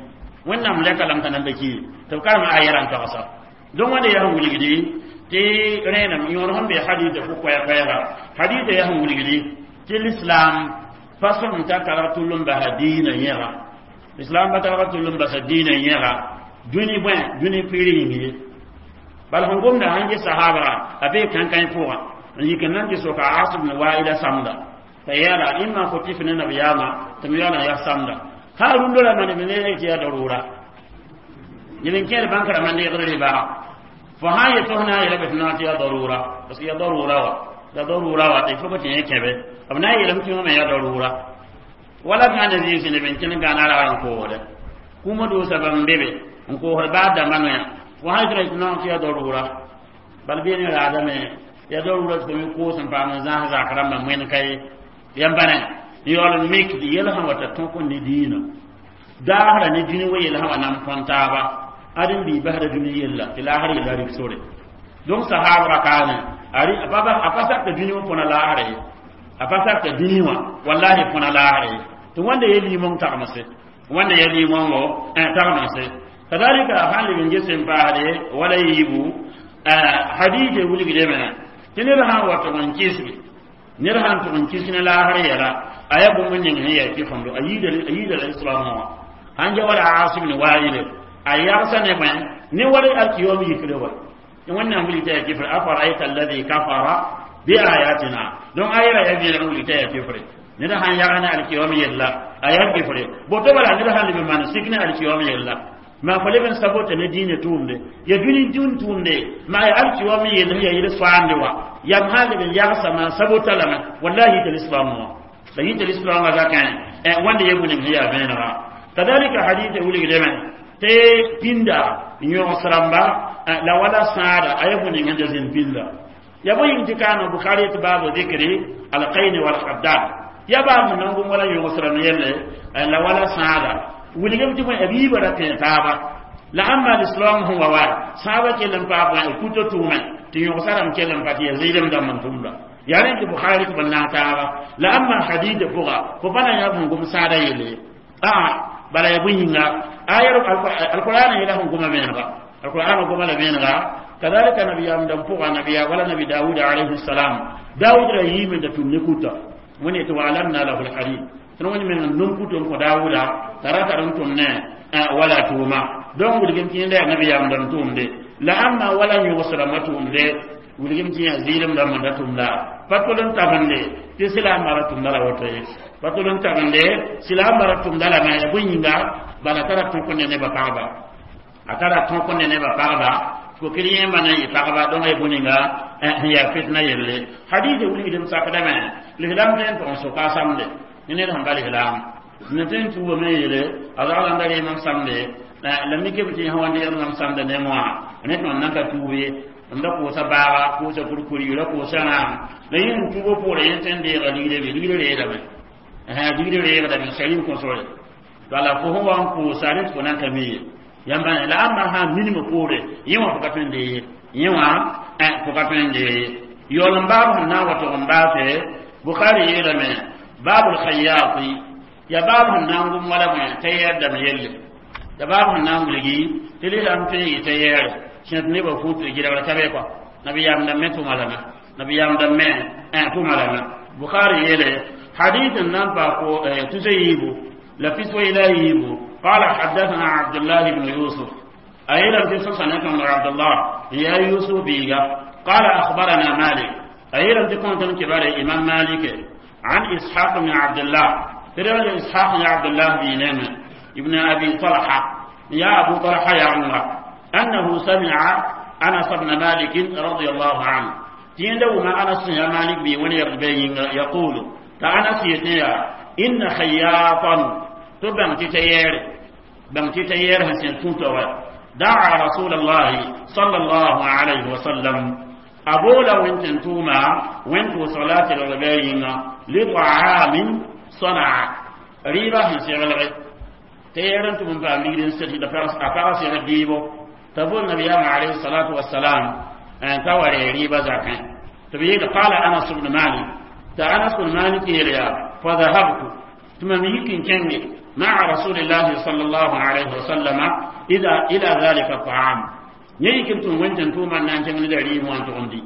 Wẽnnaam lɛka lame t'a nan ba ki tɩ b karem ayɛra n togsa donc wẽnda yaa sẽn wilgdi tɩ rẽenem yõod sẽn be hadita fo koɛɛ-koɛɛga hadita yaa sẽn wilgdi tɩ l'islam pa sõm t'a targ tʋll n basa diinã yẽga l'islam pa targ tʋll n basa diinã yẽga dũni bõe dũni pɩɩr yĩng ye bala sẽn gomda sãn ges sahaba a bee kãnkãi pʋgã n yik n nan tɩ soka Aas ibn Waila samda t'a yeela ĩmma fo tɩf ne nabiyaamã tɩ m yaool n yaa samda ha rũndã ra mane ne tɩ yaa darura. Neb n kẽed bãnk rãmbã n deegd rɩba. Fo sã n yet tɩ f na n yeelame tɩ tɩ yaa darura, parce que yaa darura wa, yaa darura wa tɩ fo tɩ yẽ kẽbe b na n yeelame tɩ wã me yaa darura. Wala gãana zĩisi neb n kẽnd gãana rag n koosde kũumã doosa bãmb be be n koosd baa dãmbã noya. Fo sã yetɩ tɩ tɩ yaa darura, bal beene raadame yaa darura tɩ fo me koos n paam n zãs zak rãmbã moen ka ye. Yãmb bãne n yaool n mik tɩ yɛl sã wa t'a tõk ne diinã daasra ne dũni wa yɛl sã wa nan põn taaba ad n bii basda dũni yella tɩ laasr yella rɩk sore. Donc sahabra kaane a pa sakta dũni wã põna laasra ye, a pa sakta dũni wã wallahi põna laasra ye. Tɩ wãnda ya limong tagmse, wãnda ya limongo tagmse. Kadalika a sãn leb n ges n paasde wala yiibu hadise wilgdame tɩ ned sã n wa tʋg n kɩsge, ned sãn tʋg n kɩs ne laasr yɛla, a yaa bũmb ning sẽn yaa kɩfemdo a yiida la islam wã sãn ja wala Asim ne waayile a yagsa ne bõe ne wala alkiyom yikre wa wẽnnaam wilg t'a yaa kɩfre. Afara'ayta alladhi kafara bi ayatina. Donc a yɛla yaa vẽeneg wilg t'a yaa kɩfre. Ned sãn yag ne alkiyom yella a yaa kɩfre boto. Bala ned sãn leb n maan sik ne alkiyom yella, maa fo leb n sabota ne diinã tʋʋmde ya dũni dũn tʋʋmde, maa ya alkiyom yell sẽn yaa yel soaande wa yam sãn leb n yagsa maan sabota lame, wallahi yita lislaam wã la yita lislaamã zakẽ wãnda ya bũ-ning sẽn yaa vẽenega. Kadalika hadita wilgdame tɩ pĩnda yõgs rãmba la wala sãada a ya bũ-ning sẽn da zĩnd pĩnda ya bõe yĩng tɩ kaana Bukhari tɩ baabu dikri alqaini walhaddad ya baab sẽn na n gom wala yõgs rãmb yelle la wala sãada wilgem tɩ bõe b yiibã ra tẽ taaba la ãmba lislaam sẽn wa wa sãabã kell n paa bõe kuto tʋʋmẽ tɩ yõgsa rãmb kell n pa tɩ ya zɩɩlem dãmb n tʋmda yaa rẽ tɩ Bukhari tɩ b naag taaba la ãmba hadida pʋga fo pa na yã sẽn gom sãada yelle a bala ya bõe yĩnga ayar alqur'ana yela sẽn goma vẽenega, alqur'ana goma la vẽenega. Kadalika nabiyam dãmb pʋga nabiya wala nabi Dawud alayhi salam, Dawud ra yiime da tʋm ne kuta wẽne tɩ waalamna lahu lhadid tɩ wẽnd meng n nom kuto n kõ Dawuda t'a ra tar n tʋm ne wala tʋʋma. Donc wilgem tɩ yẽnda yaa nabiyam dãmb tʋʋmde la ãmba wala yõgs rãmbã tʋʋmde wilgem tɩ yã zɩɩlem dãmb n da tʋmda pa tol n tabende tɩ silaambã ra tʋmda la woto ye, pa tol n tabende silaambã ra tʋmda lame ya bõe yĩnga. Bala tara tõk ne nebã pagba, a tara tõk ne nebã pagba kokir yẽmba na n yɩ pagba. Donc ya bũ-ninga sẽn yaa fitna yelle. Hadise wilgdem sakdame lislaam tõe n tʋg n soka a samde ne ned sẽn pa lislaam ne tõe n tuugame yeele a zagl n da reemam samde la mikame tɩ yẽ wa deegd mam samda ne wã ne tɩ mam nan ka tuub ye. M da kosa baaga kosa kurkuri ra kosa rãam la yẽ n tuubo poorẽ yẽ tõe n deega ligre be ligre reedame, ligre reegdame sarim kõsore. Bala fo sẽn wa n koosa rẽ tɩ fo nan ka mi ye yãmba la ãmba sã n minimã poore yẽ wã fo ka tõe n dee ye, yẽ wã fo ka tõe n dee ye. Yaool n baab sẽn na n wa tʋg n baase Bukhari yeelame baabul khayyati ya baab sẽn na n gom wala bõe t'a yɛɛr dãmb yelle ya baab sẽn na n wilgi tɩ lislaam tõe n yɩ t'a yɛɛre sẽd nebã fut gɩrgr ka be kɔa nabiyaam dãmb me tʋma lame, nabiyaam dãmb me tʋma lame. Bukhari yeele hadith n na n pa ko tusa yiibu la fiswa ila yiibu. قال حدثنا عبد الله بن يوسف أيضا في سنة عبد الله يا يوسف بيغا قال أخبرنا مالك أيضا تكون كبار إمام مالك عن إسحاق بن عبد الله ترى إسحاق بن عبد الله بن ابن أبي طلحة يا أبو طلحة يا عمر أنه سمع أنس بن مالك رضي الله عنه تيندو ما أنس يا مالك بي يقول فأنس يتنيا إن خياطا تبن تتير بن تتير هسين كنت دعا رسول الله صلى الله عليه وسلم أبولا وانت توما وانت صلاة الرباين لطعام صنع ريبا هسين تيرن تمن فاميرين سيدي أفرس يرديبو تقول النبي عليه الصلاة والسلام أن توري ريبا زكاة تبين. قال أنس بن مالك أنس بن مالك يا فذهبت ثم يمكن كنجي مع رسول الله صلى الله عليه وسلم إذا إلى ذلك الطعام يمكن تون توما أن تنجي دريم وأن تغندي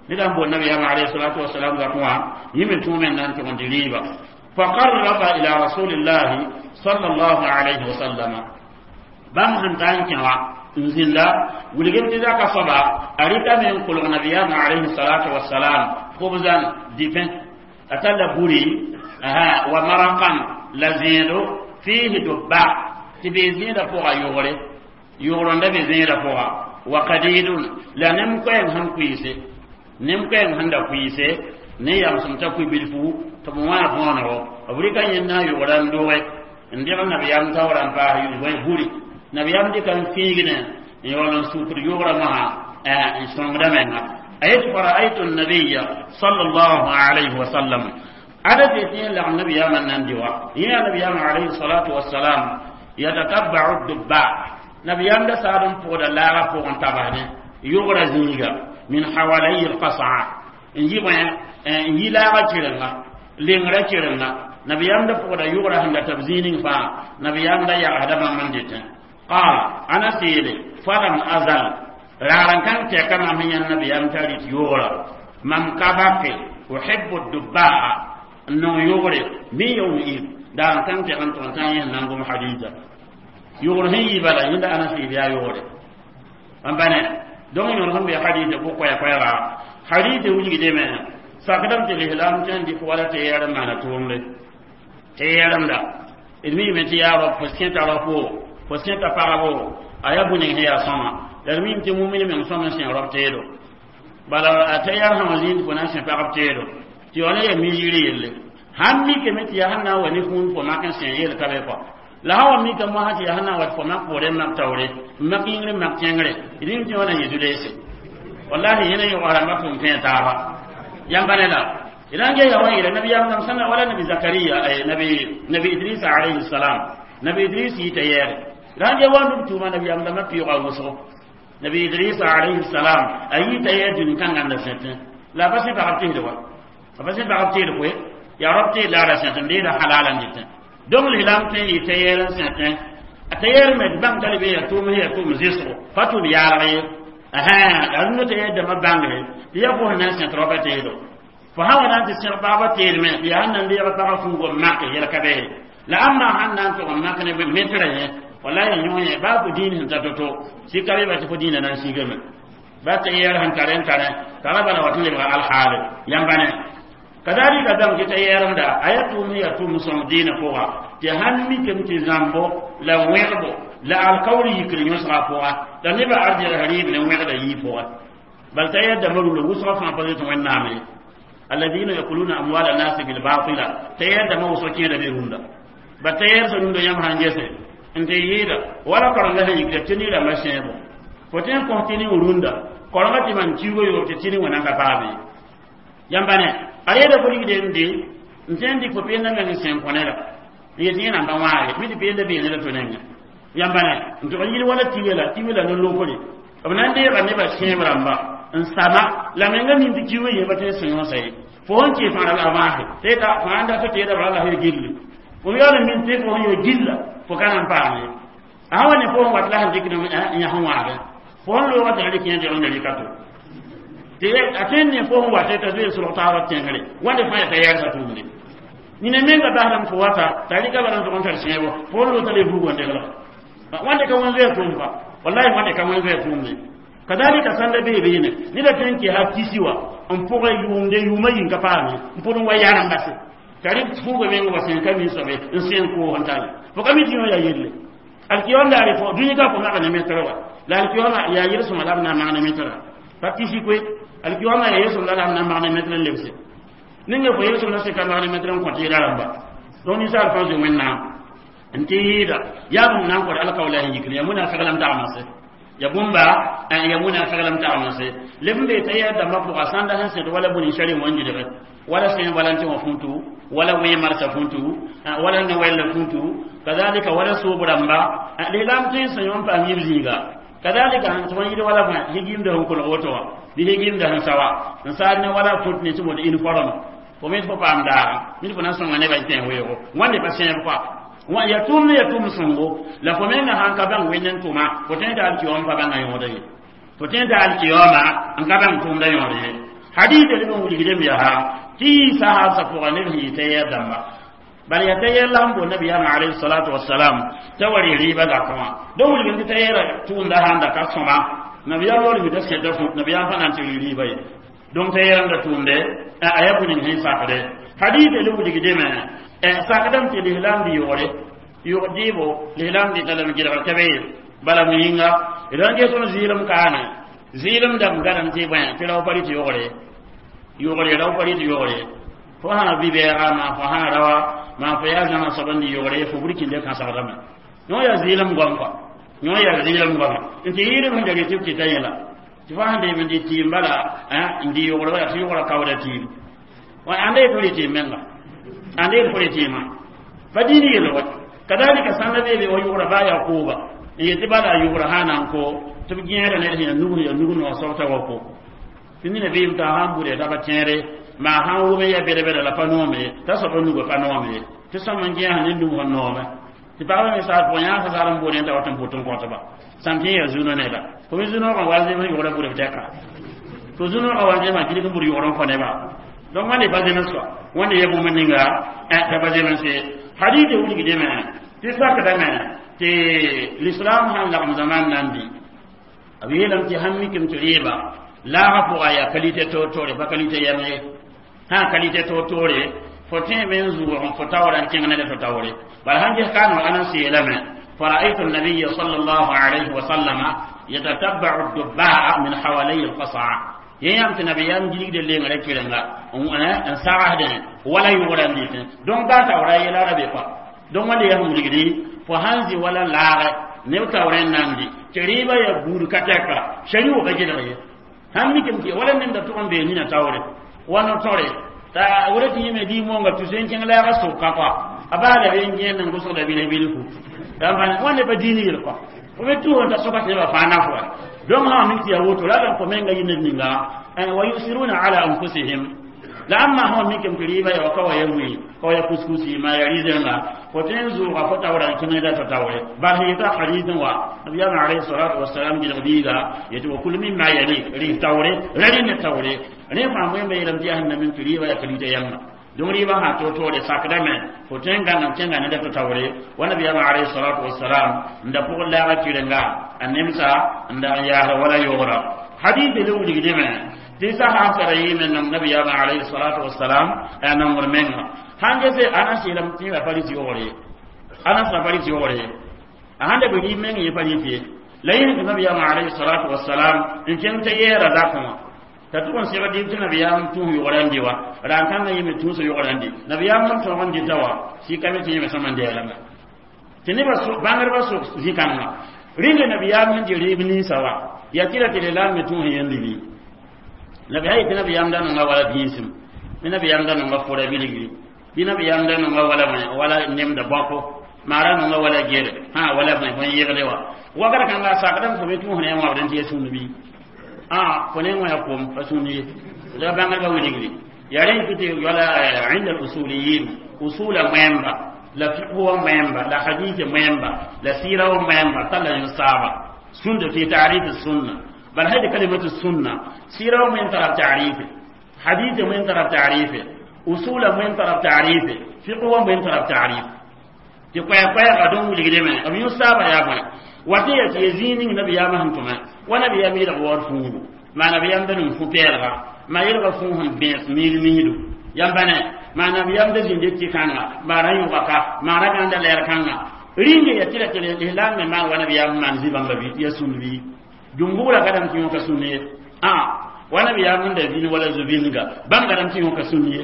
ندم بو النبي عليه الصلاة والسلام ذكوا يمكن توما أن تغندي ريبا. فقرب إلى رسول الله صلى الله عليه وسلم بام هنتان n zĩnda wilgem tɩ zaka soaba a rɩka me n kolg nabiyaamã alayhi salatu wasalam khubzan dipẽ a talla buri wa marakan la zẽedo fihi dubba tɩ bee zẽedã pʋga yogre Yʋgr n da be zẽedã pʋga wa kadidun la nem koɛɛng sẽn kʋɩɩse, nem koɛɛng sẽn da kʋɩɩse ne yamsem t'a kʋɩ bilfu tɩ b wã võonego. B rɩka yẽnda n yʋgra n doge n dẽg nabiyaam taoora n paas buri. Nabiyaam dɩka n fiigne n yaool n sukd yʋgrã mosã n sõngda menga. A yet fa raaytu nabiya sallallahu alayhi wa sallam ada tɩ tɩ yẽ lagm nabiyaamã n nan dɩ wa yẽ yaa nabiyaamã alayhi salatu wassalam yatatabbau dubba. Nabiyaam da saad n pʋgda laaga pʋgẽ tabasdẽ yʋgrã zĩiga min hawalayi lqasaa n yi bõe n yi laaga kɩrenga lengrã kɩrenga. Nabiyaam da pʋgda yʋgrã sẽn da tab zĩig ning fãa. Nabiyaam da yagsda bãmb n dɩtẽ qaal ana seele falam azal raar n kãng tɛka mam sẽn yãnd nabiyaam t'a rɩt yʋgrã mam ka bake uhibbu dubbaa n nong yʋgre min yawm id daar n kãng tɛg n tʋg n tã yẽs nan gom hadisa yʋgr sẽn yi bala yẽnda ana sɩɩd yaa yʋgre n bane. Donc yõor sẽn be hadisa pʋg koɛɛ-koɛɛga hadisa wilgdeme sakdame tɩ lislaam tõe n dɩk wala tɩ yɛɛr n maana tʋʋmde tɩ yɛɛremda d miime tɩ yaa rab fo sẽta rafo fo sẽta pagbo a yaa bũ-ning sẽn yaa sõma la d miime tɩ mumini meng sõm n sẽ rab teedo bala a tɩ yɛr sã wã zĩnd fo na n sẽ pagb teedo tɩ yaool n yaa mi-yiri yelle sãn mikame tɩ yaa sẽn na n wa ne kũun fo mak n sẽ yel ka be kɔ la sã wa mika mosã tɩ yaa sẽn na n wat fo mak poore n mak taoore n mak yĩngr n mak tẽngre d nim tɩ wã na yẽ zu-leese wallahi yẽna yʋgsa rãmbã tʋm tẽ taaba yãmba ne la idan ge yawan ila nabi yam sana wala nabi Zakariya ay nabi Idris alayhi salam. Nabi Idris yita yɛre idan ge wandu tuma nabi yam dama piiga wʋsgo. Nabi Idris alayhi salam a yita yɛr dũni kãngã la sẽtẽ la pa sẽ pagb tɩsd wa a pa sẽ pagb tɩɩd koe yaa rab tɩɩd la ra sẽtẽ deeda halala n dɩtẽ. Donc lislaam tõe n yɩ t'a yɛɛr n sẽtẽ a ta yɛɛr me bãng t'a be yaa tʋʋm yaa tʋʋm zɩsgo pa tʋʋm yaalg ye la rũndã t'a yɛɛr dãmbã bãngre tɩ yaa fo sẽn na n sẽt raopa teedo fo sã wa na n tɩ sẽg pagba teedme tɩ yaa sẽn na n deeg pagã fuugo n mak yɛl ka beere la ãmba sãn na n tʋg n mak ne metrã yẽ wallahi yõ yẽ baa fo dĩin sẽn ta to-to sika be ba tɩ fo dĩinã na n sigame ba tɩ yɛɛr sẽn tare n tare tara bala wat n lebga alhaale yãmba ne. Kadalika bãng tɩ t'a yɛɛremda a yaa tʋʋm yaa tʋʋm sõng dĩinã pʋga tɩ sãn mikame tɩ zãmbo la wẽgbo la alkaoor yikr yõsga pʋga la nebã arjɛlsa rɩɩb ne wẽgda yii pʋga bal t'a yaa dãmba rũndã wʋsgã fãa pa zoet wẽnnaam ye alladina yakuluna amwala nasi bilbatila t'a yaa dãmbã wʋsg kẽeda be rũndã ba t'a yɛɛr rũndã yãmb sãn gese n tɩ yɩɩda wala korenga sẽn yikra tɩ ne-rãmbã sẽebo fo tõe n kõs tɩ ning rũndã korenga tɩ man kiugo yoob tɩ tɩ ning wã nan ka paame yãmba ne a yeeda fo rigde n de n tõe n dɩk fo peenda meng n sẽn kõ neda n yet yẽ nan pa wãage mi tɩ peenda bee neda to nengẽ yãmba ne n tʋg n yɩl wala tiwe la tiwe la no-lokre b na n deega nebã sẽeb rãmba n sama la menga min tɩ kiugo yẽba tõe n sẽ yõsa ye fo sẽn kee fãara la a maase tɩ fãa n dat teeda bala la sẽn gilli fo yaool n min tɩ fo sẽn yaa gilla fo ka nan paam ye a sã wa ne fo sẽn wat la sẽn dɩk n yãs n wãagẽ fo sẽn loogã tɩ rɩk yẽ deg n rɩka to tɩ a tõe n ne fo sẽn wata t'a zoe solg taabã tẽngre wãnde fãa yaa t'a yɛɛrsa tʋʋmde nina menga basdame fo wata t'a rɩka bala n tʋg n tar sẽebo fo sẽn loog t'a le vuugã degla wãnde ka wẽn zoɛɛ tʋʋm pa wallahi wãnde ka wẽn zoɛɛ tʋʋmde kadalika sãnda bee beene neda tõe n kɩ ha tisi wa n pʋgã yʋʋmde yʋʋmã yĩn ka paame n pʋd n wa yaarã n base t'a rɩk fuuga meng wa sẽn ka min soabe n sẽn koos n tare fo ka mi tɩ yõ yaa yelle alkiyom daare fo dũni ka fo maga ne metrã wa la alkiyoma yaa yel-sõma la b na n mag ne metrã pa tisi koe alkiyoma yaa yel-sõm la b na n mag ne metrã n lebse ninga fo yel-sõm la sẽka mag ne metrã n kõ tɩ yɛla rãmba. Donc ninsaal fãa zoe wẽnnaam n tɩ yɩɩda yaa bũmb na n kõt alkaoola sẽn yikr yaa munaafɩg la m tagmse ya bũmba ya munaafɩg la m tagmse leb n bee t'a yaa dãmbã pʋga sãnda sẽn sẽd wala bũni sari wãn-gilge wala sẽn wala n tɩ wã fũtu wala wẽ marsa fũtu wala ne-wɛll fũtu kazalika wala soob rãmba lislaam tõe n sã yõ n paam yib zĩiga kadalika sẽn tɩ yɩl wala fãa higimda sẽn kolg woto wã bɩ higimda sẽn sa wa n saad ne wala fũt ne tɩ mod uniforme fo me fo paam daaga mid fo na n sõnga nebã n tẽ weoogo wãnde pa sẽeb koa wã yaa tʋʋm ne yaa tʋʋm sõngo la fo menga sãn ka bãng wẽnd n tʋma fo tõe t'a alkiyoom pa bãnga yõoda ye fo tõe t'a alkiyooma n ka bãng tʋʋmda yõod ye hadisa leb n wilgdem yaa tɩ yɩ sahaabsã pʋga neb sẽn yɩ t'a yɛɛr dãmba bala yaa t'a yɛɛr la sẽn boond nabiyaamã alayhi salatu wasalam t'a wa rɩ rɩɩbã zakẽ wã donc wilgem tɩ t'a yɛɛra tʋʋmda sãn da ka sõma nabiyaam yaool mida sẽta fũt nabiyaam fã na n tɩ rɩ rɩɩba ye donc t'a yɛɛrãmda tʋʋmde a yaa bũ-ning sẽn sakde hadisa le wilgdeme sakdame tɩ lislaam dɩ yʋgre yʋg dɩɩbo lislaam dɩta lame gɩlgr ka be Bala m yĩnga d sãn ges tõnd zɩɩlem kaane zɩɩlem dãmb gadame tɩ bõe tɩ rao pa rɩt yogre yogre rao pa rɩt yogre fo sã bi-bɛɛga maa fo sã raoa maa fo yaa zãma soab n dɩ yogre fo burkinde kãsegdame yõ yaa zɩɩlem goam kɔa yõ yaa zɩɩlem goama n tɩ yɩɩdem sẽn da rɩ tɩ b tɩta yẽla tɩ fo sãn deem n dɩ tɩɩm bala n dɩ yogre wala tɩ yogra kaooda tɩɩm ãnda yet fo rɩ tɩɩm menga ãnda yet fo rɩ tɩɩmã pa dĩin yell wa kadalika sãnda beebe wa yogra baa yakuuba n yetɩ bala a yogra sã na n ko tɩ b gẽeda ned sẽn yaa nug noog soab t'a wa ko tɩ nina beem t'a sãn bʋd t'a pa tẽere maa sãn wʋm ya bɛd-bɛda la pa noome t'a soab a nugã pa noome ye tɩ sõm n gẽes ne nug sẽn noome tɩ pagba me saas pʋgẽ yãa sasar n boodẽ t'a wat n pʋt n kõtba sãm tɩ yaa zunõ neda fo me zunõogã wa zem sẽn yogra bʋd b tɛka to zunõogã wa zemã gilg n bʋd yogr n kõ nebã donc wãnde pa zems soa wãnde ya bũmb ninga t'a pa zems ye hadite wilgdame tɩ sakdame tɩ l'islam sãn lagem zaman nan bɩ b yeelame tɩ sãn mikame tɩ rɩɩba laaga pʋga yaa qualité toor-toore pa qualité yɛm ye sã qualité toor-toore fo tẽeme n zʋʋg n fo taoora n kẽng ne fo taoore bala sãn ges kaaneg ana seelame فرأيت النبي صلى الله عليه وسلم يتتبع الدباء من حوالي القصعة yãmb tɩ nabiyaam gilgda lengrã kerenga n sagsdẽ wala yʋgrã n dɩtẽ donc baa taoora yɛla ra be kɔa donc wãnde yaa sẽn wilgdi fo sãn zĩ wala laagɛ neb taoorẽ n namdi tɩ rɩɩbã yaa buud ka tɛka shari wʋka gelg ye sãn mikame tɩ wala nenda tʋg n bee nina taoore wa no-tore t'a wora tɩ yẽme dɩ monga tus n kẽng laaga sʋka kɔa a baa la be n gẽend n gʋsgda bilf bilfu wãnde pa diin yel kɔa fo be tʋʋn t'a soka tɩ nebã fãa naf wa donc sã mik tɩ yaa woto la d kõ menga yɩ ned ninga wa yusiruna ala anfusihim la ãmba sã mikame tɩ rɩɩbã yaa wa ka wa ya wĩ ka wa ya kuskusi maa ya rɩ-zẽnga fo tõe n zʋʋga fo taoora n kẽngda tɩ taoore bal sẽn yeta hadisẽ wa nabiyaamã alayhi salatu wasalam gilg biiga yetɩ wa kul mimma yalik rɩs taoore ra rɩ ne taoore rẽ fãa wẽmba yeelame tɩ yaa sẽn na min tɩ rɩɩbã yaa kalita yãmba donc rɩɩbã sã toor-toore sakdame fo tõe n gãng n kẽnga neda tɩ taoore wa nabiyaamã alayhi salatu wasalam n da pʋg laaga kɩrenga a nemsa n dag n yaasra wala yogra hadise le wilgdame tɩ sahab tara yɩɩme nong nabiyaamã alayhi salatu wasalam a nongr menga sãn gese anas yeelame tɩ yẽ pa rɩt yogre ye anas ra pa rɩt yogre ye a sãn da be rɩɩb meng yẽ pa rɩt ye la yẽ tɩ nabiyaamã alayhi salatu wasalam n kẽng t'a yɛɛra zakẽ wã t'a tʋg n segd dɩb tɩ nabiyaam tũus yogrã n dɩ wa ra n kãngã yẽme tũusa yogrã n dɩ nabiyaam n tõog n dɩta wa sɩkame tɩ yẽme sõma n dɛɛlame tɩ nebã bãngdbã sʋk zĩ-kãngã rĩnda nabiyaam sẽn dɩ rɩɩb ninsã wa yaa tɩ ra tɩ la me tũus yẽnd bɩ nabi hay tɩ nabiyaam da nonga wala bĩisim bɩ nabiyaam da nonga fʋra bilgri bɩ nabiyaam da nonga wala wala nemda bãko maara nonga wala gere hã wala bõe bõe yegde wa wakr kãnga a sakdame fo me tũus ne wãbd n tɩ ya sũnd bɩ a fo ne wã ya kom pa sũnd ye la bãngdbã wilgri yaa rẽ tɩ wala عند الأصوليين أصول مهمة la fiqh مهمة la hadith مهمة la sira مهمة tala yusaba sunna fi ta'rif السنة بل هذه كلمة السنة سيرة من طرف تعريفه حديث من طرف تعريفه أصول من طرف تعريفه فقه من طرف تعريف tɩ koɛɛ-koɛɛga dõn wilgdame b yõ saaba yaa bõe wa tɩ ya tɩ ya zĩig ning nabiyaamã sẽn tʋme wa nabiyaam yelg waood fuugu maa nabiyaam da ning fu-pɛɛlga maa yelga fũu sẽn bẽes miid miidu yãmba ne maa nabiyaam da zĩnde tɩ kãnga maa ra yõga ka maa ra gãnda lɛɛr kãnga rĩnga ya tɩ ra tɩ lislaam me maan wa nabiyaam maan zĩ-bãmba bɩ tɩ ya sũnd bɩ jumhura gadam tɩ yõka sũnd ye a wa nabiyaam n da vĩn wala zu-vĩndga bãmb gadam tɩ yõka sũnd ye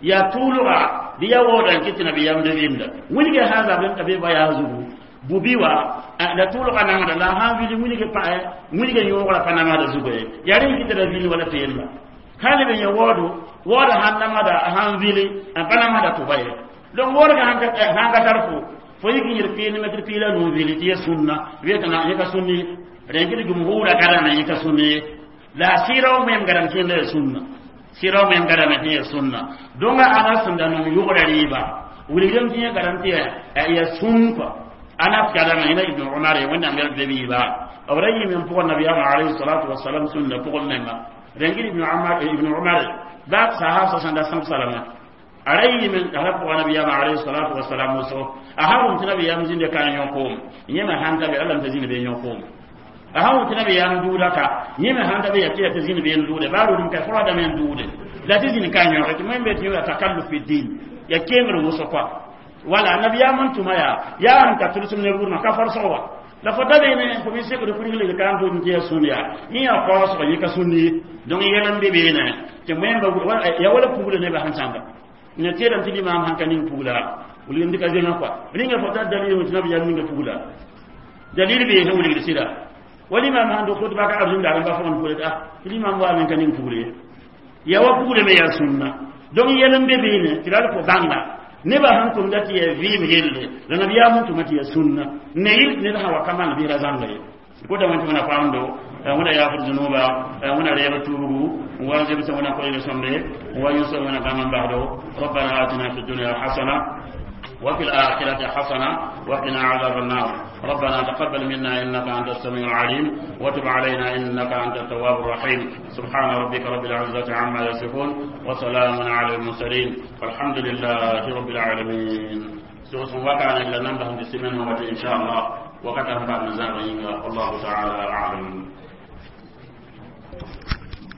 yaa tʋʋlga bɩ ya waooda n kɩ tɩ nabiyaam da vɩmda wilge sã zabl t'a be ba yaa zugu bubi wa la tʋʋlga nangda la sãn vil wilge pa wilge yõogra pa namsda zugu ye yaa rẽ kɩ tɩ ra vil wala tɩ yella hali be yẽ waoodo waooda sãn namsda sãn vili n pa namsda tʋba ye donc waoodga sãn ka tar fo fo yik n yel pɩɩl metr piila nuu vili tɩ ya sũnna wetna yẽ ka sũnni ye rẽ kɩ tɩ jumhura gadame yẽ ka sũnni ye la sɩɩra wã moem gadam kẽnda ya sũnna sɩra wã moem gadame tɩ ya sũnna donc ana sẽn da nong yʋgra rɩɩba wilgdame tɩ yẽ gadam tɩ ya sũn kɔa anas gadame yẽna ibn umar ye wẽnnaam yɛl be biiba b ra yɩɩme n pʋgã nabiyaamã alayhi salatu wasalam sũnna pʋgẽ menga rẽngd ibn umar ibn umar baab sahab sẽn da sãb salama a ra yɩɩme n ra pʋga nabiyaamã alayhi salatu wasalam wʋsgo a sã wʋm tɩ nabiyaam zĩnde ka n yõ koom yẽ me sãn ta be alla t'a zĩnd be n yõ koom a sã wʋm tɩ nabiyaam duuda ka yẽ me sãn ta be ya tɩ ya tɩ zĩnd be n duude baa rʋdem ka fo dame n duude la tɩ zĩnd ka n yõge tɩ wẽn be tɩ yõ takalluf fi din ya kengr wʋsg kɔa wala nabiyaam n tʋma yaa yaa sẽn ka tʋlsem ne rʋʋdmã ka farsg wa La fo da beene fo me sekd kurgl ka n tʋm tɩ yaa sũn yaa yẽ yaa kaoosgo yẽ ka sũnd ye. Donc yɛl n be beene tɩ wẽmba ya wala pugla nebã sẽn sãmba ne tẽedame tɩ limaam sãn ka ning pugla wilgd ka zẽngã kɔa rĩnga fo tar dalil tɩ nabiyaam ninga pugla dalil bee sẽn wilgd sɩda wa limaam sãn dog khutba ka arzũndaar n ba fõgen pugla tɩ tɩ limaam waame n ka ning pugle ye ya wa pugle me yaa sũnna. Donc yɛl n be beene tɩ la fo bãnga nebã sẽn tʋmda tɩ yaa vɩɩm yelle la nabiyaam sẽn tʋma tɩ yaa sũnna ne yɩl ned sã wa ka maan bɩ ra zãnga ye. Kota wẽn tɩ wẽna paamdo wẽna yaafd zũnuba wẽna reeb tuubgu n wa zemsa wẽna koɛɛg sõmde n wa yũsã wẽna gãng n basdo. ربنا آتنا في الدنيا حسنة وفي الآخرة حسنة وقنا عذاب النار. ربنا تقبل منا إنك أنت السميع العليم وتب علينا إنك أنت التواب الرحيم. سبحان ربك رب العزة عما يصفون وسلام على المرسلين والحمد لله رب العالمين. سوس وكان إلا نمبهم بسمن إن شاء الله وكتب بعد نزاع. والله تعالى أعلم.